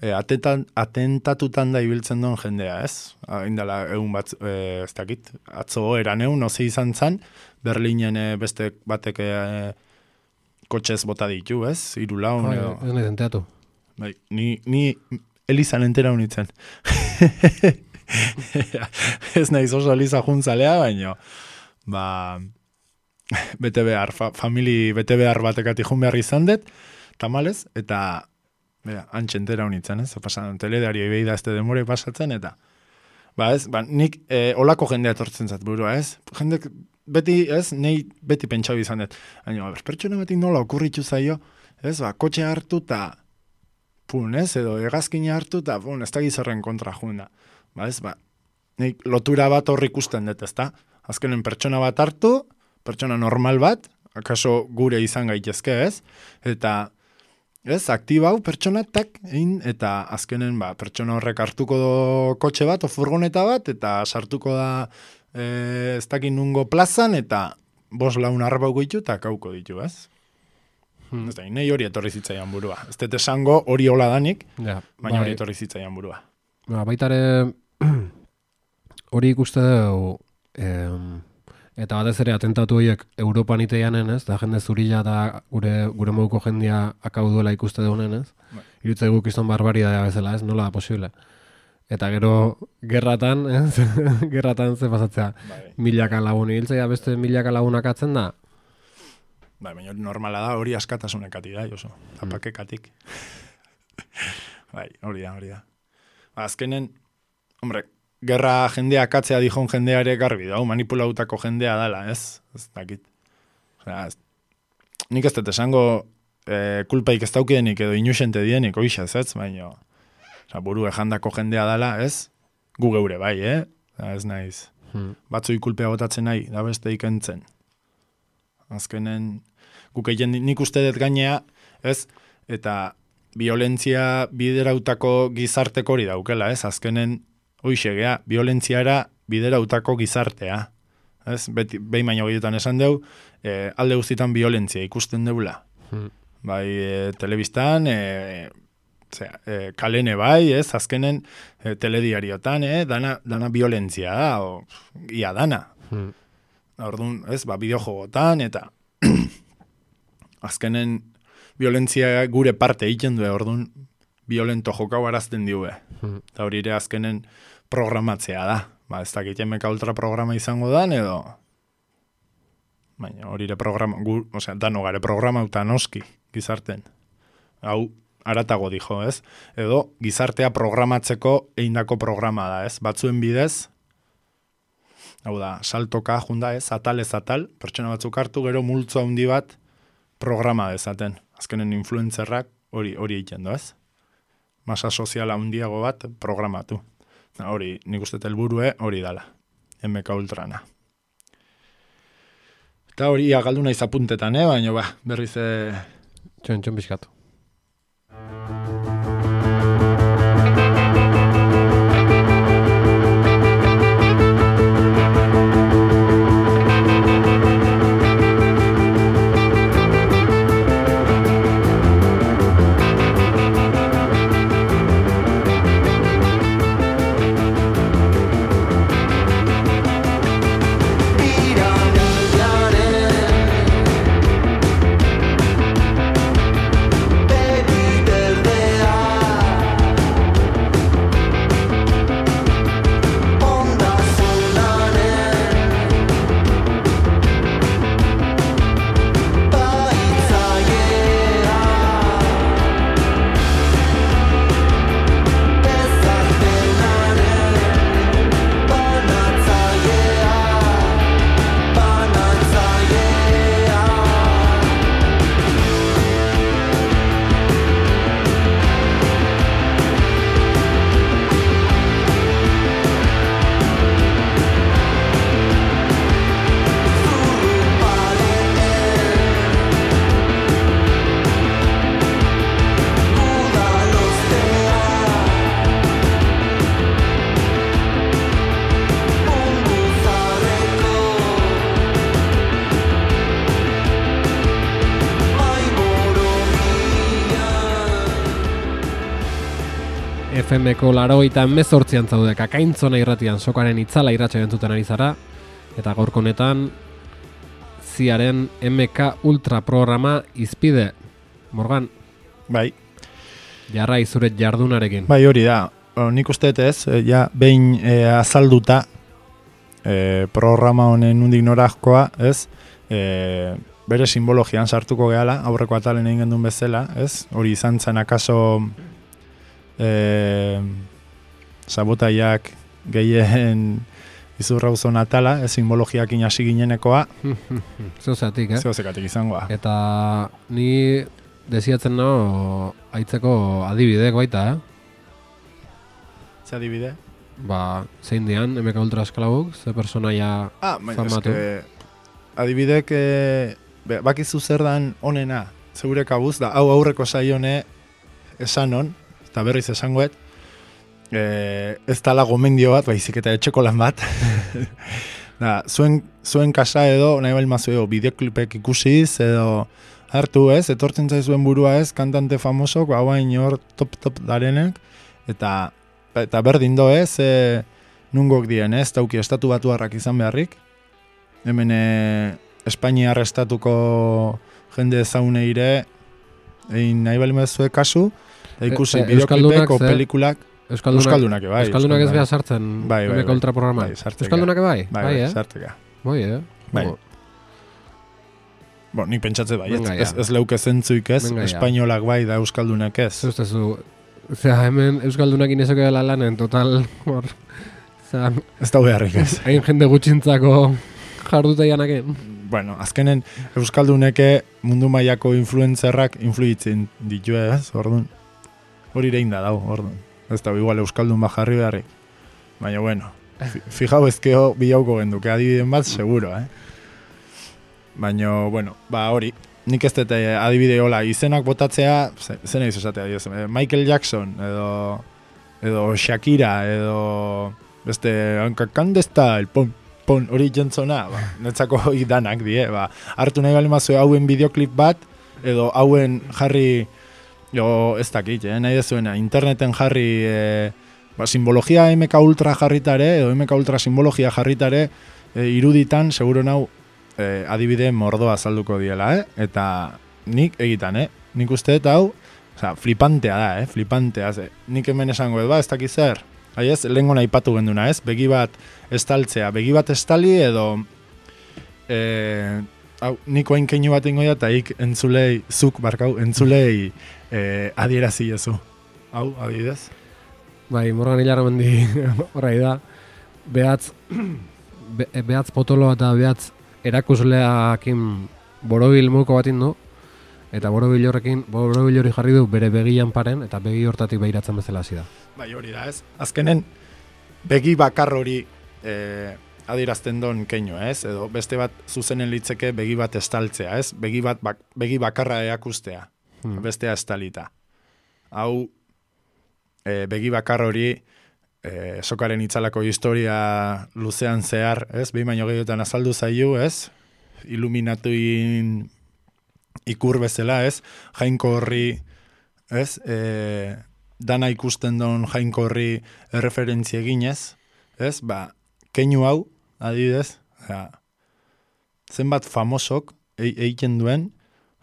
atentatutan da ibiltzen duen jendea, ez? Indala, egun bat, ez dakit, atzo eran egun, oze izan zan, Berlinen beste batek kotxez bota ditu, ez? 3 laun edo. Ez nahi enteratu. Bai, ni Elizan entera unitzen. Ez nahiz oso Eliza juntzalea, baino, ba, bete behar, bete behar batekati jun behar izan dut, tamalez, eta antxe entera unitzen, ez? Pasan, teledario ibeida ez demore pasatzen, eta ba, ez, ba, nik olako jendea etortzen zat burua, ez? Jendek beti, ez, nei beti pentsau izan dut. Baina, pertsona batik nola okurritu zaio, ez, ba, kotxe hartu eta pun, ez, edo hegazkina hartu eta pun, ez da gizarren kontra juna. Ba, ez, ba, nik lotura bat horri ikusten dut, ez da? Azkenen pertsona bat hartu, pertsona normal bat, akaso gure izan gaitezke, ez? Eta, ez, aktibau pertsonatak egin, eta azkenen, ba, pertsona horrek hartuko kotxe bat, o furgoneta bat, eta sartuko da ez dakin nungo plazan, eta 5 laun arbauko ditu, eta kauko ditu, ez? Ez da, nahi hori etorri zitzaian burua. Ez dut esango hori hola danik, baina hori etorri zitzaian burua. Baitare hori ikuste dugu, eta batez ere atentatu horiek Europan iteianen, ez? Da jende zurila da gure moduko jendia akau duela ikuste dugunen, ez? Irutze guk izan barbaridadea bezala, ez? Nola da posible? Eta gero gerratan, ez? Gerratan ze pasatzea. Milaka lagun hiltzea, beste milaka lagunak atzen da? Baina normala da, hori askatasunekati da, Josu. Tapakekatik. Hori da. Azkenen, hombre, gerra jendea katzea dijon jendea ere garbi da, manipulautako jendea dala, ez? Ez dakit. Nik ez dut esango kulpaik ez daukidenik edo inusente dienik, oixaz, ez? Baina, buru ejandako jendea dala, ez? Gu geure bai, ez naiz. Batzui kulpea botatzen nahi, da beste ikentzen. Azkenen, guk egin nik uste dut gainea, ez? Eta violentzia biderautako gizarteko hori daukela, ez? Azkenen, hoixegea, violentziara biderautako gizartea. Ez? Behin baino gehietan esan deu, alde guztitan violentzia ikusten deula. Bai, telebistan, kalene bai, ez? Azkenen, telediariotan, dana violentzia da, ia dana. Orduan, ez, bideojogotan, eta azkenen violentzia gure parte egiten du, orduan, violento jokau arazten diue. Eta hori ere azkenen programatzea da. Ez dakit MK Ultra programa izango dan, edo baina hori ere programa, dano gare programa eta noski, gizarten. Hau, aratago dijo, ez? Edo, gizartea programatzeko eindako programa da, ez? Batzuen bidez, hau da, saltoka junda ez, atal, pertsona batzuk hartu, gero multzo handi bat programa dezaten. Azkenen influencerrak hori egiten du, ez? Masa soziala handiago bat programatu. Hori, nik uste helburue hori dala. MK Ultrana. Eta hori galdu naiz apuntetan, baina berriz... Txon bizkatu. FM-ko 88an zaude Kakaintzona irratian sokaren itzala irratsa entzuten ari zara, eta gaurko honetan ziaren MK Ultra programa izpide. Morgan, Bai, jarrai zure jardunarekin. bai hori da. Nik uste ez, ja behin azalduta programa honen nondik norakoa, ez? Bere simbologian sartuko gehala, aurreko atalen egin gendun bezala, ez? Hori izan zen akaso sabotaiak gehien izurrauzon atala, simbologiakin hasi ginenekoa. Zeuzatik, Zeuzekatik izangoa. Eta ni desiatzen no aitzeko adibidek baita, Ze adibide? Ba, zein dian, MK Ultra esklabuk, ze personaia famatu. Adibidek bakizu zer dan onena, zeure kabuz, da hau aurreko saione esanon, eta berriz esangoet, ez tala gomendio bat, baizik eta etxeko lan bat. Da, zuen kasa edo, nahi balmazu edo, bideoklipek ikusiz, edo hartu ez, etortzen zaizuen burua ez, kantante famosok, hauain hor top darenek, eta berdin do ez, nungok dien ez, tauki estatu batuarrak izan beharrik. Hemen Espainiar estatuko jende zauneire, egin nahi balimazue kasu, eta ikusi bideoklipek o pelikulak. Euskaldunak bai. Euskaldunak ez beha sartzen MK Ultra programa. Euskaldunak bai? Bai, sarteka. Bai, Bai. Bo, nik pentsatze bai, ez leuke zentzuik ez, espainolak bai da euskaldunak ez. Zustezu, hemen euskaldunak inezoke dela lanen, total, hor, ez da beharrik ez. Hain jende gutxintzako jarduta janaken. Bueno, azkenen euskalduneke mundu mailako influencerrak influitzen ditu ez, orduan. Hori rein da dau, orduan. Ez da, igual euskaldun bat jarri beharrik. Baina, bueno, fijau ezkeo bilauko genduke adibiden bat, seguro, Baina, bueno, ba hori, nik ez dut adibide hola, izenak botatzea, zena izatea, Michael Jackson, edo Shakira, edo beste, hankakandesta, el pon, hori jentzona, netzako danak die, hartu nahi balimazue hauen bideoklip bat, edo hauen jarri, ez dakit, nahi dezuena, interneten jarri, simbologia MK Ultra jarritare, edo MK Ultra simbologia jarritare, iruditan, seguro nau, adibide mordoa azalduko diela, eta nik egitan, nik uste eta hau, flipantea da, flipantea, nik hemen esango ez dakit zer, ez, lehenko nahi patu genduna, begi bat estaltzea, begi bat estali edo, niko hain keinu bat ingoia, eta ik entzulei, entzulei adierazi jezu. Hau, adibidez? Bai, Morgan hilara mendi horrai da, behatz potolo eta behatz erakusleakin borobil muko bat indu, eta borobil hori jarri du bere begian paren, eta begi hortatik behiratzen bezala hasi da. Bai, hori da ez. Azkenen, begi bakar hori adierazten don keino, ez? Edo beste bat zuzenen litzeke begi bat estaltzea, ez? Begi bakarra erakustea, bestea estalita. Hau, begi bakar hori sokaren itzalako historia luzean zehar, ez? Behin baino gehiotan azaldu zaiu, ez? Iluminatuin ikur bezala, ez? Jainko horri, ez? Dana ikusten don jainko horri erreferentzia eginez, ez? Keinu hau, adibidez, zenbat famosok egiten duen,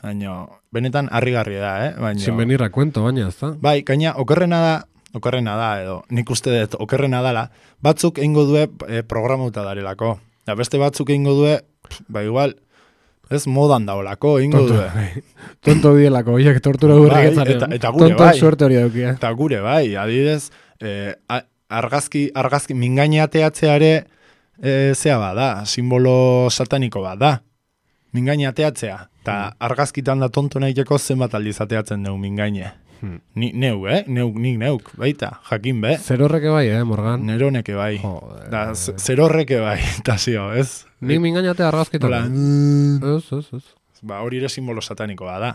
baina benetan harrigarria da, Sin venir a cuento, baina, ez da? Bai, gaina, okerrena da, edo nik uste dut okerrena dala, batzuk eingo due programuta darelako. Da beste batzuk eingo due, igual, ez modan daolako, eingo due. Tonto bielako, oiek tortura gurriketzaren. Eta gure bai. Tonto suerte hori daukia. Eta gure bai, adibidez, argazki mingaineateatzeare zea bada, simbolo sataniko bada. Mingaineateatzea. Eta argazkitan da tonto nahiteko zenbat aldiz ateatzen dugu mingaine. Nik neuk, baita, jakin be. Zerorreke bai, Morgan? Neroneke bai. Zerorreke bai, eta zio, ez? Nik mingainatea argazkitan. Ez. Hori ere simbolo satanikoa da.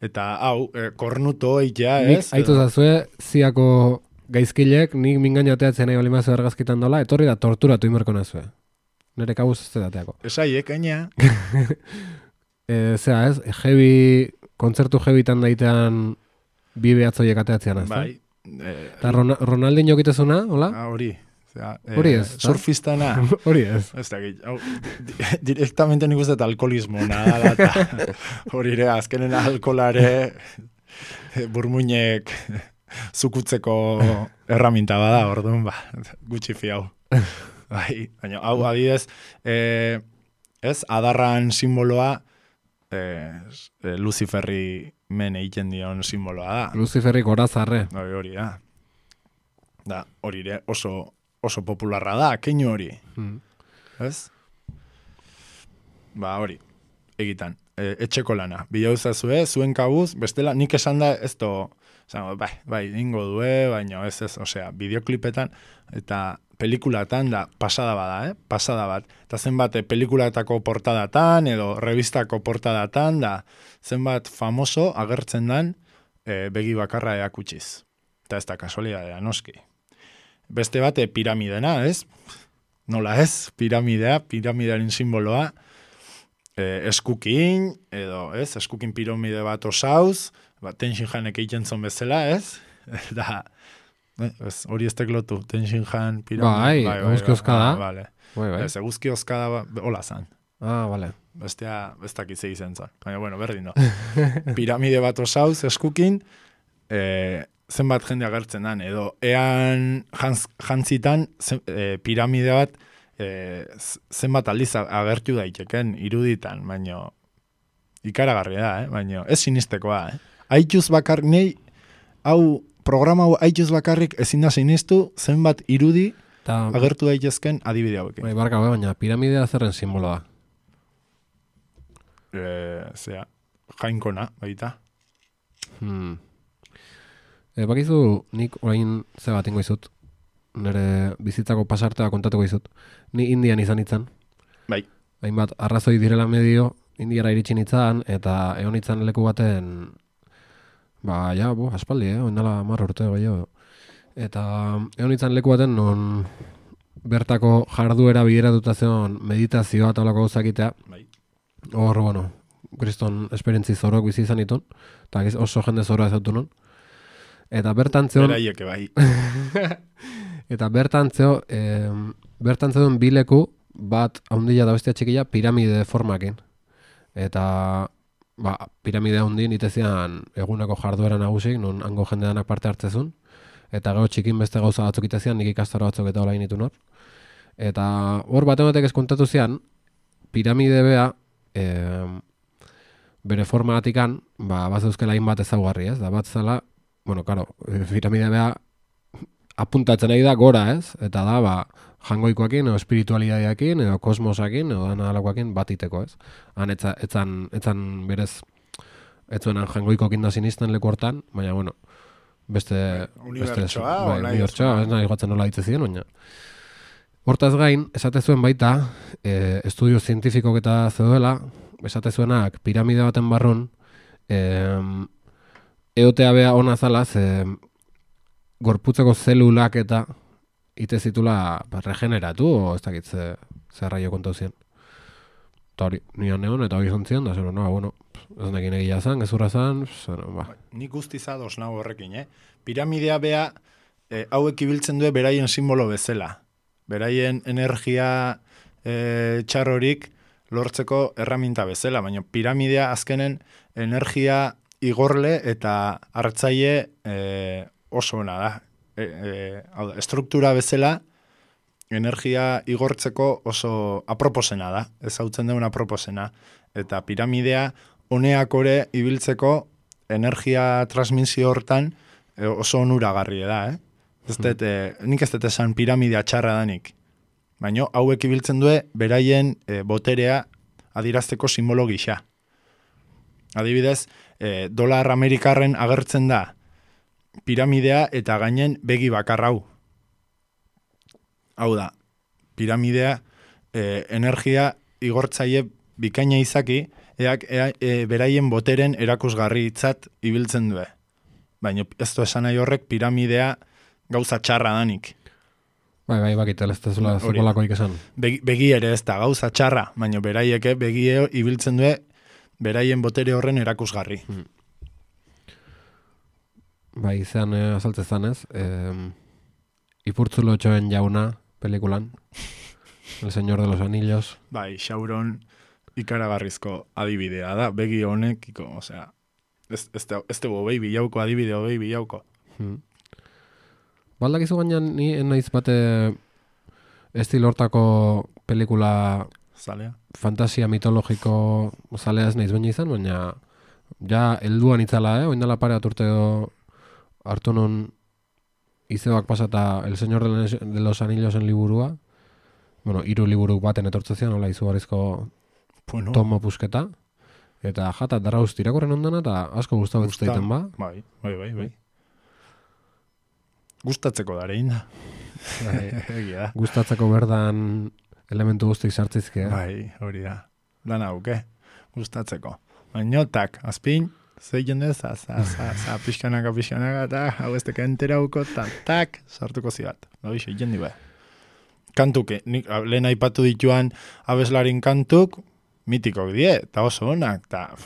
Eta hau, kornuto eitea, ez? Aitu zazue, ziako gaizkilek, nik mingainateatzen nahi balimazio argazkitan dola, etorri da torturatu imerko nazue. Nere kabuz ez dateako. Esaiek, aina. Zea ez, kontzertu jebitan daitean bi behatzoiek ateatzean, ez? Bai, Eta Ronaldinho egitezuna, hola? Hori. Hori ez, surfistana. Hori ez. Ez da, directamente nik uste alkoholismo, nada, eta hori ere, azkenen alkolare burmuinek zukutzeko erraminta bada, orduan, gutxi fiau. Bai, baina, hau, adidez, ez, adarran simboloa, Luciferri men egiten dion simboloa da. Luciferri gorazarre. Hori da. Da, hori ere oso popularra da, keinu hori. Ez? Hori, egitan. Etxeko lana. Bilauzazue, zuen kabuz, bestela, nik esan da, ez to, bai, ingo due, baina ez, osea, bideoklipetan, eta pelikulatan da pasada bada, pasada bat. Eta zenbat pelikulatako portadatan, edo revistako portadatan, da zenbat famoso agertzen dan begi bakarra eakutsiz. Eta ez da kasualidadea, noski. Beste bat piramidena, ez? Nola ez? Piramidearen simboloa, eskukin, edo, ez? Eskukin piramide bat osauz, Tenshin Hanek egiten zon bezala, ez? Da, hori ez teklotu, Tenshin Han piramide. Bai, eguzki oskada. Vale. Bai. Ez, eguzki oskada, hola zan. Vale. Bestea, bestak izei zen zan. Baina, bueno, berdin do. Piramide bat osauz, eskukin, zenbat jende agertzen dan, edo ean jantzitan piramide bat zenbat aldiz agertu daiteken iruditan, baina ikaragarria da, baina ez sinistekoa. Aituz bakarrik nei, hau programa aituz bakarrik ezin da sinistu zenbat irudi agertu daitezken adibide hauekin. Bai, barka, baina piramidea zerren simboloa? Jainkona, baita. Bakizu, nik orain ze bat ingo izut, nire bizitzako pasartea kontatuko izut. Ni Indian izan itzan. Bai. Hainbat arrazoi direla medio, Indiara iritsi nitzan, eta egon itzan leku baten, aspaldi, oindala 10 urte gehiago. Eta egon itzan leku baten, non bertako jarduera bideratuta zeon meditazioa eta olako gauzakitea. Bai. Hor, kriston esperientzi zorok bizi izan ditun, eta oso jende zorra ezautu non. Eta bertan zeon... Beraieke bai. Eta bertan zeon bileku bat haundila da bestia txikila piramide formakin. Eta piramide haundi nitezian eguneko jarduera nagusik, non hango jendeanak parte hartzezun. Eta gero txikin beste gauza batzuk itezian, nik ikastaro batzuk eta hola initu nor. Eta hor batek ez kontatu zian, piramide bea, bere formatikan, bazeuzkela hainbat ezaugarri, ez? Da bat zela, piramidea beha apuntatzen nahi da gora, ez? Eta da, jangoikoakin, edo espiritualidadeakin, edo kosmosakin, edo analakoakin batiteko, ez? Han etzan berez, etzuenan jangoikoakin da sinisten leku hortan, baina, beste... Unibertsoa, unibertsoa, ez nahi gatzen nola ditzezien, baina. Hortaz gain, esate zuen baita, estudio zientifikok eta zeudela, esate zuenak piramide baten barrun, eotea bea ona zala, gorputzeko zelulak eta ite zitula regeneratu, o ez dakit zerraio kontau zien. Eta hori, nian neon, eta hori zontzion, da zer, ez nekin egia zan, gezurra zan, Nik guztizados nago horrekin, Piramidea bea, hauek ibiltzen du beraien simbolo bezala. Beraien energia txarrorik lortzeko erraminta bezala, baina piramidea azkenen energia igorle eta hartzaile oso ona da. Estruktura bezala energia igortzeko oso aproposena da, ezautzen duen aproposena. Eta piramidea honeakore ibiltzeko energia transmisio hortan oso onuragarria da. Nik ez dut esan piramidea txarra danik. Baina hauek ibiltzen du beraien boterea adirazteko simbolo gisa. Adibidez, dolar amerikarren agertzen da piramidea eta gainen begi bakarrau. Hau da, piramidea energia igortzaile bikaina izaki, beraien boteren erakusgarri itzat ibiltzen du. Baina ez du esan nahi horrek piramidea gauza txarra danik. Bai, bakitel ez da zula zupolakoik esan. Begi ere ez da gauza txarra, baina beraieke begie ibiltzen du beraien botere horren erakusgarri. bai, zean azaltzezan ez, Ipurtzulo txoen jauna, pelikulan, El Señor de los Anillos. Bai, Sauron ikaragarrizko adibidea da, begi honekiko, osea, ez tebo behi bilauko, adibideo behi bilauko. Baldakizu baina ni naiz bate estilo hortako pelikula Zalea? fantasia mitologiko zalea ez naiz baina izan, baina ja helduan itzala, oindala pare bat urte hartu non izebak pasata El Señor de los Anillosen liburua, bueno, 3 liburu baten etortzezian, hola izugarrizko tomo pusketa, eta jata darauz tirakorren ondana, eta asko gustatu egiten ba. Bai. Gustatzeko darein da. Egia da. Gustatzeko berdan elementu guztik sartzizke. Bai, hori da. Dana auke, gustatzeko. Bainotak, azpin, zeien ez, pixkanaka, eta hau ez teka enterauko, tak, sartuko zibat. Hoi, zeien dibe. Kantuk, lehen aipatu dituan abeslarin kantuk, mitikok die, eta oso honak, eta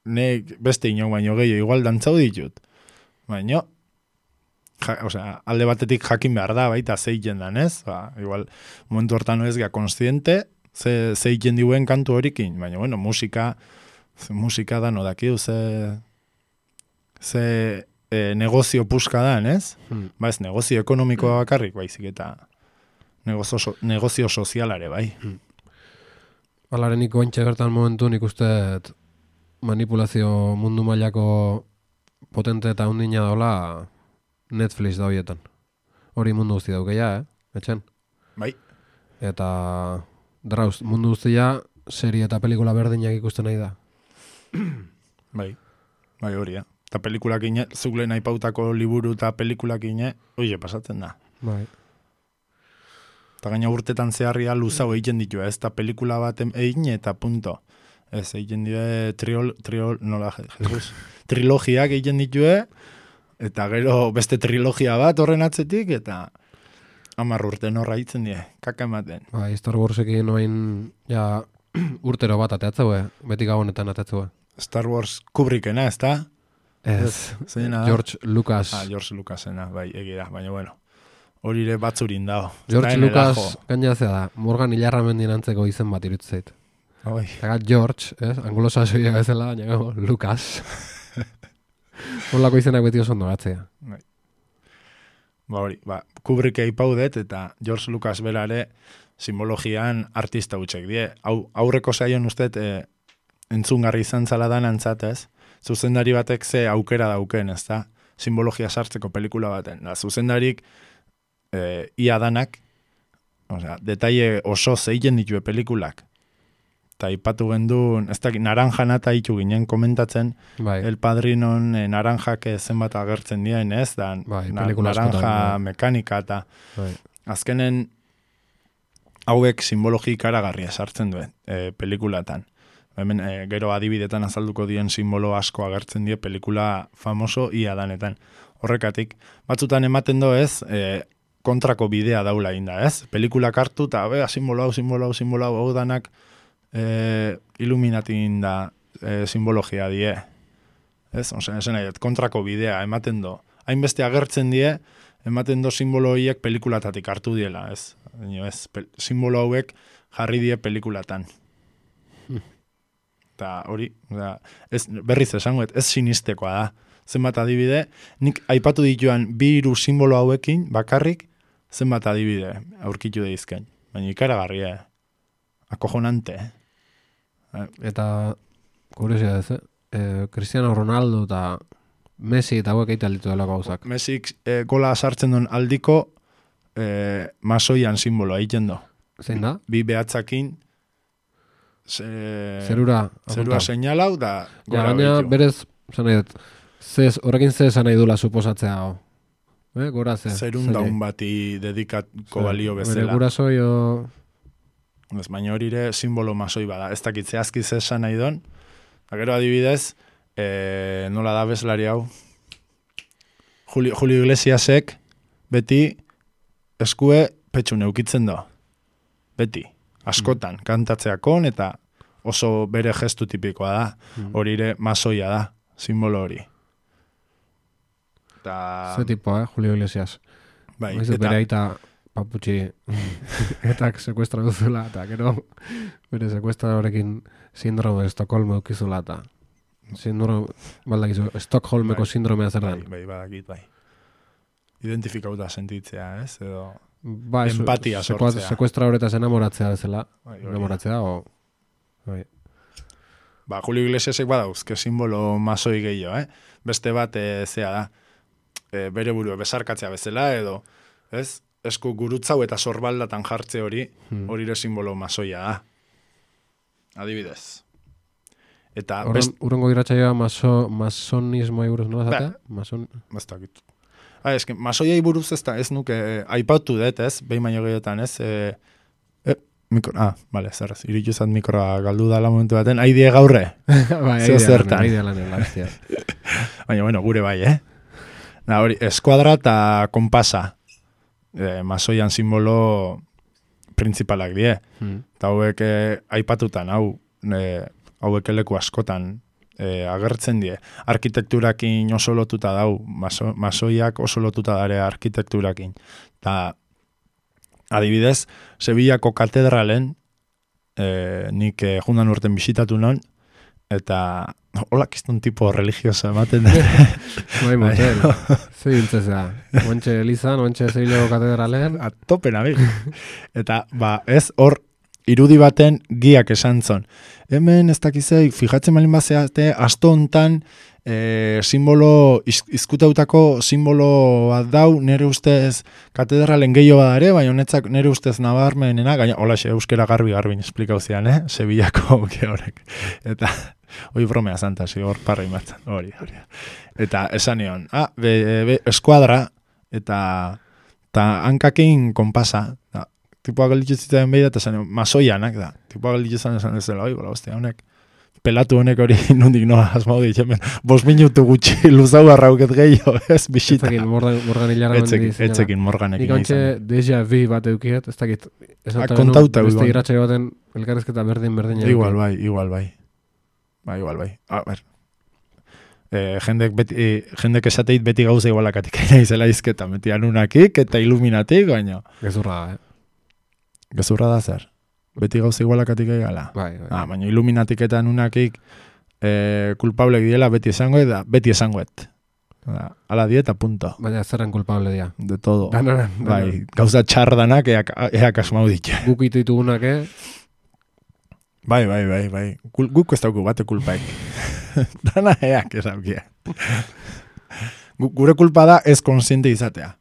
nek beste inok baino gehiago igual dantzau ditut. Baino, alde batetik jakin behar da, baita zeiten dan ez, igual momentu hortan ez gea konstiente, zeiten diuen kantu horikin, baina bueno, musika da no dakiu, ze negozio puska da, ez? Ba ez, negozio ekonomikoa bakarrik, baizik eta negozio sozialare, bai. Balarenik ointxe bertan momentu nik uste manipulazio mundu mailako potente eta undina daula Netflix da horietan. Hori mundu guzti daukeia, etxen? Bai. Eta drauz, mundu guztia serie eta pelikula berdinak ikusten nahi da. Bai hori, Eta pelikulak ine, zuk lehen aipautako liburu eta pelikulak ine, oie, pasatzen da. Bai. Eta gaina urtetan zeharria luzau egiten ditu, ez? Eta pelikula bat egin eta punto. Ez, egiten ditu trilogiak egiten ditu, eta gero beste trilogia bat horren atzetik, eta 10 urte norra egiten die, kaka ematen. Bai, Star Warsekin noain ja urtero bat ateatzeu, beti gabonetan ateatzeu. Star Wars Kubrickena, ez da? Ez, George Lucas. George Lucasena, bai, egira, baina bueno. Hori ere batzurin dago. George Lucas gainazea da, Morgan Ilarramendin antzeko izen bat iruttzeit. Eta George, anglosaxoia bezala, baina Lucas. Horlako izenak beti oso ondo gatzea. Kubrick aipaudet eta George Lucas berare simbologian artista utxek die. Aurreko saion ustet entzungarri izan zala dan antzatez, zuzendari batek ze aukera dauken, ez da? Simbologia sartzeko pelikula baten. Zuzendarik ia danak, detaile oso zeiten ditue pelikulak. Eta ipatu gendun, ez da, naranjan eta itu ginen komentatzen, El Padrinon naranjak zenbat agertzen dien, ez? Naranja mekanika eta azkenen hauek simbologi ikaragarria sartzen duen pelikulatan. Hemen gero adibidetan azalduko dien simbolo asko agertzen die pelikula famoso ia danetan. Horrekatik, batzutan ematen do ez, kontrako bidea daula inda, ez? Pelikulak hartu eta simbolo hau danak Illuminatin da simbologia die. Ez? Esan nahi, kontrako bidea ematen do. Hainbeste agertzen die, ematen do simbolo horiek pelikulatatik hartu diela, ez? Simbolo hauek jarri die pelikulatan. Eta hori, berriz esango, ez sinistekoa da. Zenbat adibide, nik aipatu dituan 2 simbolo hauekin bakarrik zenbat adibide aurkitu deizken. Baina ikaragarria, akojonante. Eta, kuriosia ez, Cristiano Ronaldo eta Messi eta hauek eital ditu dela gauzak. Messi gola sartzen duen aldiko masoian simboloa egiten do. Zein da? 2 behatzakin zerura seinalau da gora behitu. Berez, horrekin ze esan nahi dula suposatzea hau. Gora ze. Zerun daun bati dedikatko balio bezala. Bere gurasoi o... Baina hori ere simbolo masoi bada. Ez dakit zehazki ze esan nahi don. Gero adibidez, nola da bezlari hau. Julio Iglesiasek beti eskue petxun eukitzen do. Beti. Askotan, kantatzeakon eta oso bere gestu tipikoa da. Hori ere masoia da, simbolo hori. Ze tipo, Julio Iglesias. Bai, Maizu bere aita paputxi etak sekuestra duzula, eta gero bere sekuestradorekin sindrome Estocolmo eukizula, eta Stockholmeko sindromea zer den. Bai, badakit, bai. Identifikauta sentitzea, ez? Edo Ba, empatia sortzea. Sekuestra horretaz enamoratzea bezala. Bai, Enamoratzea, bai. Ba, Julio Iglesiasek badauzke simbolo masoi gehiago, Beste bat, zea da, bere burua besarkatzea bezala, edo, ez? Esku gurutzau eta sorbaldatan jartze hori ere simbolo masoia da. Adibidez. Eta urrengo iratsaioa masonismoa buruz nola zatea? Bastakit. Eske masoiai buruz ez nuke aipatu dut, ez? Behin baino gehiotan, ez? Vale, zerrez. Iritu zat mikroa galdu dala momentu baten. Aidie gaurre. Bai, aidea lanen, lastia. Baina, bueno, gure bai, hori, eskuadra eta konpasa. Masoian simbolo principalak die. Eta hauek aipatutan, hauek leku askotan agertzen die. Arkitekturakin oso lotuta dau, masoiak oso lotuta dare arkitekturakin. Eta adibidez, Sevillako katedralen nik jundan urten bisitatu non, eta holak izton tipo religioso ematen da. Bai, motel. Zer dintzezea. Oantxe Elizan, oantxe Sevillako katedralen. Atopen, abik. Eta, ez hor, irudi baten giak esan zon. Hemen, ez dakizei, fijatzen malin bazeate, asto hontan simbolo, izkutautako simbolo bat dau, nire ustez katedralen gehiago badare, baina honetzak nire ustez nabarmenena, gaina, hola, euskera garbi esplikau zian, Sevillako horrek. Eta, hoi bromea zantasi, hor parra imatzen, hori. Eta esan nion, eskuadra, eta hankakin konpasa, tipoa galditzu zitzen behi da, eta esan nion, masoianak da, tipoa galditzu esan ez dela, bola, hostia, honek, pelatu honek hori nondik noa asmau ditxemen, 5 minutu gutxi luzau arrauket gehiago, ez bisita. Etzekin Morgan hilara Etzekin Morganekin. Nik ontxe déjà vu bat eukiet, ez dakit. Kontauta beste iratxaio baten elkarrezketa berdin. Igual bai. Igual bai. A ber. Jendek esateit beti gauza igualakatik izela izketa, beti anunakik eta iluminatik, baina. Gezurra da, Gezurra da zer? Beti gauza igualakatik egala. Bai. Baina iluminatik eta anunakik kulpablek diela beti esangoet. Ala dieta, punto. Baina zerren kulpable dia. De todo. Bai, gauza txardanak eak asmau ditu. Guk itugunak, Bai. Guk ez dauku bate kulpaik. Dana eak esaukia. Gure kulpa da ez konsiente izatea.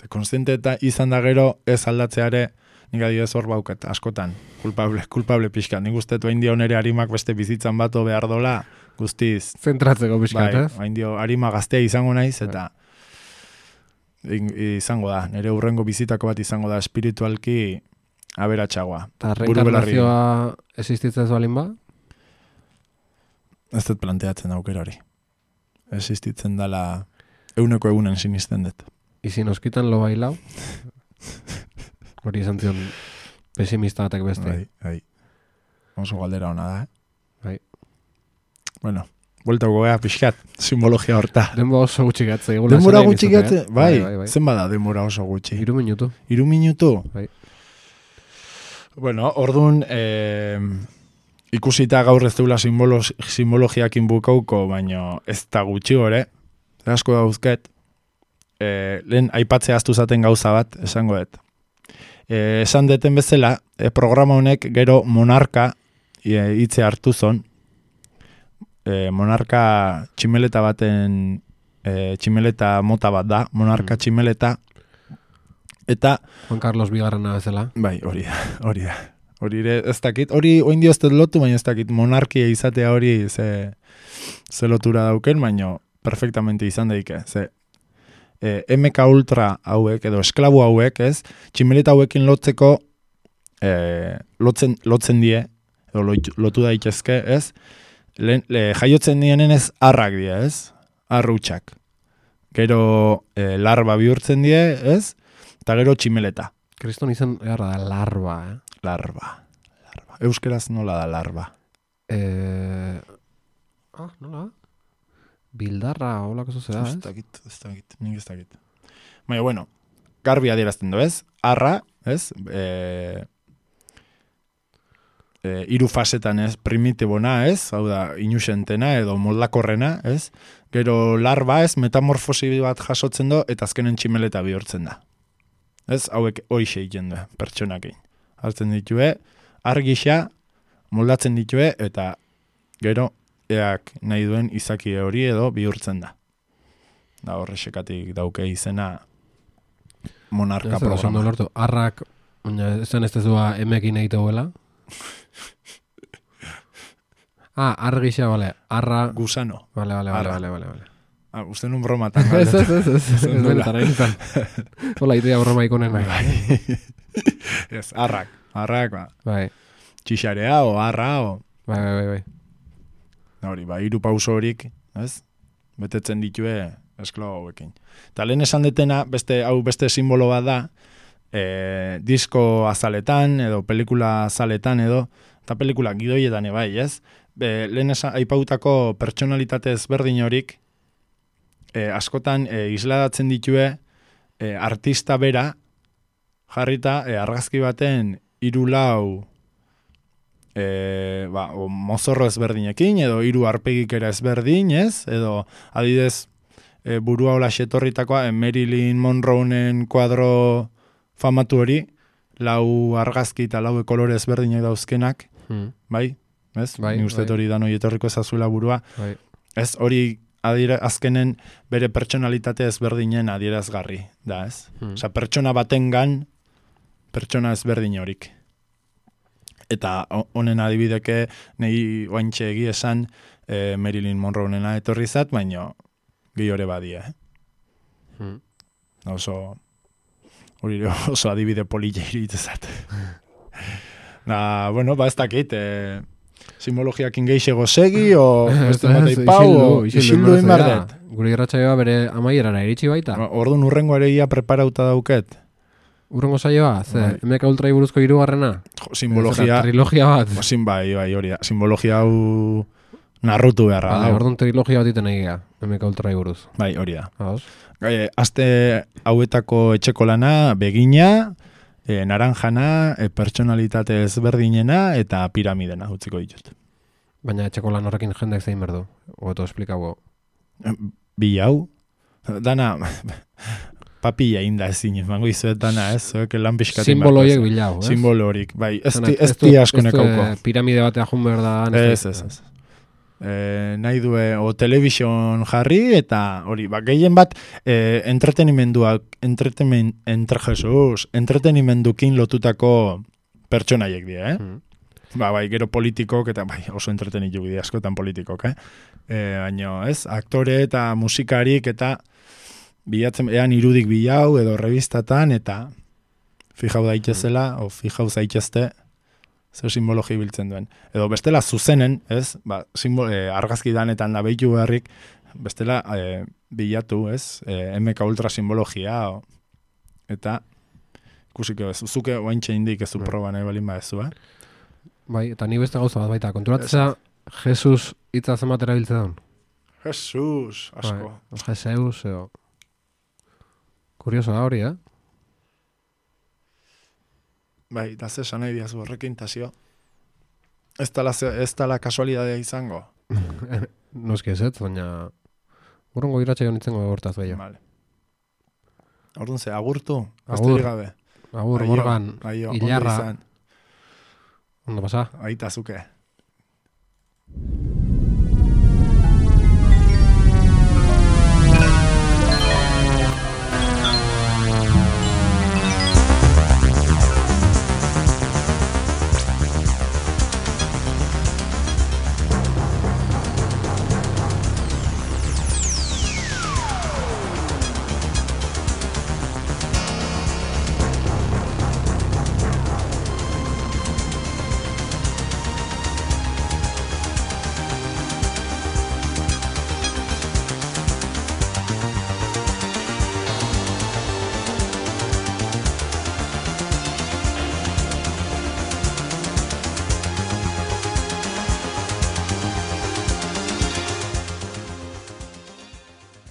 Konsiente eta izan da gero ez aldatzeare nik adibidez hor bauket, askotan, kulpable pixka. Nik ustetu hain dio nere harimak beste bizitzan bato behar dola, guztiz. Zentratzeko pixkat, ez? Hain dio harima gaztea izango naiz, eta izango da, nere hurrengo bizitako bat izango da espiritualki aberatsagoa. Eta reenkarnazioa existitzen ez balin ba? Ez dut planteatzen aukera hori. Existitzen dala eguneko egunen sinisten dut. Izin oskitan lo bailau? Hori izan zion pesimista batek beste. Bai. Oso galdera hona da, Bai. Bueno, buelta gogea pixkat, simbologia horta. Denbora oso gutxi gatze. Denbora gutxi gatze? Bai. Zen bada denbora oso gutxi? 3 minutu. 3 minutu? Bai. Bueno, orduan, ikusita gaur ez deula simbologiakin bukauko, baino ez da gutxi gore, asko dauzket, lehen aipatzea aztu zaten gauza bat, esango dut. Esan deten bezala, programa honek gero monarka hitze hartu zon. Monarka tximeleta baten, tximeleta mota bat da, monarka tximeleta. Eta Juan Carlos Bigarrena bezala. Bai, hori da. Hori ez dakit, hori oindio ez dut lotu, baina ez dakit monarkia izatea hori ze lotura dauken, baina perfectamente izan daike, ze MK Ultra hauek, edo esklabu hauek, ez, tximeleta hauekin lotzeko lotzen die, edo lotu daitezke, ez, jaiotzen dienen ez arrak die, ez, arrutxak. Gero larba bihurtzen die, ez, eta gero tximeleta. Kriston izan egarra da larba, Larba. Euskeraz nola da larba? Nola? Bildarra, holako zuzera, Ez dakit, nik ez dakit. Baina, bueno, garbi adierazten du, ez? Arra, ez? Hiru fasetan, ez? Primitibona, ez? Hau da, inusentena edo moldakorrena, ez? Gero larba, ez? Metamorfosi bat jasotzen du, eta azkenen tximeleta bihurtzen da. Ez? Hauek hoixe egiten du, pertsonakein. Hartzen ditue, argisa, moldatzen ditue, eta gero, eak nahi duen izaki hori edo bihurtzen da. Da horrexekatik dauke izena monarka programa. Lortu, arrak, esan ez tezua emekin egiteguela. Argisa, bale. Arra... Gusano. Bale. Uste nun bromatan. Ez. Benetan, egin zan. Hola, idea broma ikonen. Ez, arrak, ba. Bai. Txixarea o arra o... Bai. Hori, hiru pauso horik, ez? Betetzen ditue esklabo hauekin. Eta lehen esan detena, beste simbolo bat da, disko azaletan, edo pelikula azaletan, edo, eta pelikula gidoietan bai, ez? Lehen aipautako pertsonalitate ezberdin horik, askotan isladatzen ditue artista bera, jarrita argazki baten 3-4 mozorro ezberdinekin, edo 3 arpegikera ezberdin, ez? Edo, adidez, burua hola xetorritakoa, Marilyn Monroenen kuadro famatu hori, 4 argazki eta 4 kolore ezberdinak dauzkenak, bai? Ez? Ni uste hori dan hori etorriko ezazuela burua. Bai. Ez, hori azkenen bere pertsonalitate ezberdinen adierazgarri, da, ez? Osa, pertsona batengan, pertsona ezberdin horik. Eta honen adibideke nahi oaintxe egi esan Marilyn Monroenena etorri zat, baina gehiore badia. Oso adibide polilla iritzat. Bueno, ez dakit, simbologiak ingeixego segi, o beste bat aipau, o isildu inbardet. Gure irratsaioa bere amaierara iritsi baita. Orduan urrengo areia preparauta dauket. Urrengo saioa, MK Ultrai buruzko 3. Simbologia... Trilogia bat. Bai, hori da. Simbologia hau narrutu beharra. Orduan trilogia bat iten egia, MK Ultrai buruz. Bai, hori da. Aste hauetako etxeko lana, begina, naranjana, pertsonalitate ezberdinena, eta piramidena, utziko ditut. Baina etxeko lan horrekin jendeak zein berdu? Oto esplikago. Bilau. Dana... Papilla inda ezin, mango izuet dana, ez? Lan pixkatin simbolo horiek bilau, ez? Simbolo horik, bai. Ez di asko nekauko. Piramide batea jun behar da. Ez. Nahi due, o television jarri, eta hori, gehien bat, entretenimendukin lotutako pertsonaiek dira, Bai, gero politikok, eta bai, oso entretenituk dira askotan politikok, baina, ez? Aktore eta musikarik, eta bilatzen, ean irudik bilau, edo revistatan, eta fijau daitezela, o fijau zaitezte, zer simbologi biltzen duen. Edo bestela zuzenen, ez? Argazki danetan da behitu beharrik, bestela bilatu, ez? MK Ultra simbologia, eta ikusiko ez, zuke oaintxe indik ez du proba nahi balin badezu, Bai, eta ni beste gauza bat baita, konturatzea Jesus hitza zenbat erabiltzen daun? Jesus, asko. Jesus, edo... Kurioso da hori, Bai, da ze esan nahi diazu horrekin, tasio. Ez tala kasualidadea izango. Noski ez, baina... Urrengo iratxaio nintzen hortaz behio. Vale. Orduan ze, agurtu? Agur, gabe. Agur, Morgan, Ilarra. Ondo pasa? Aita zuke.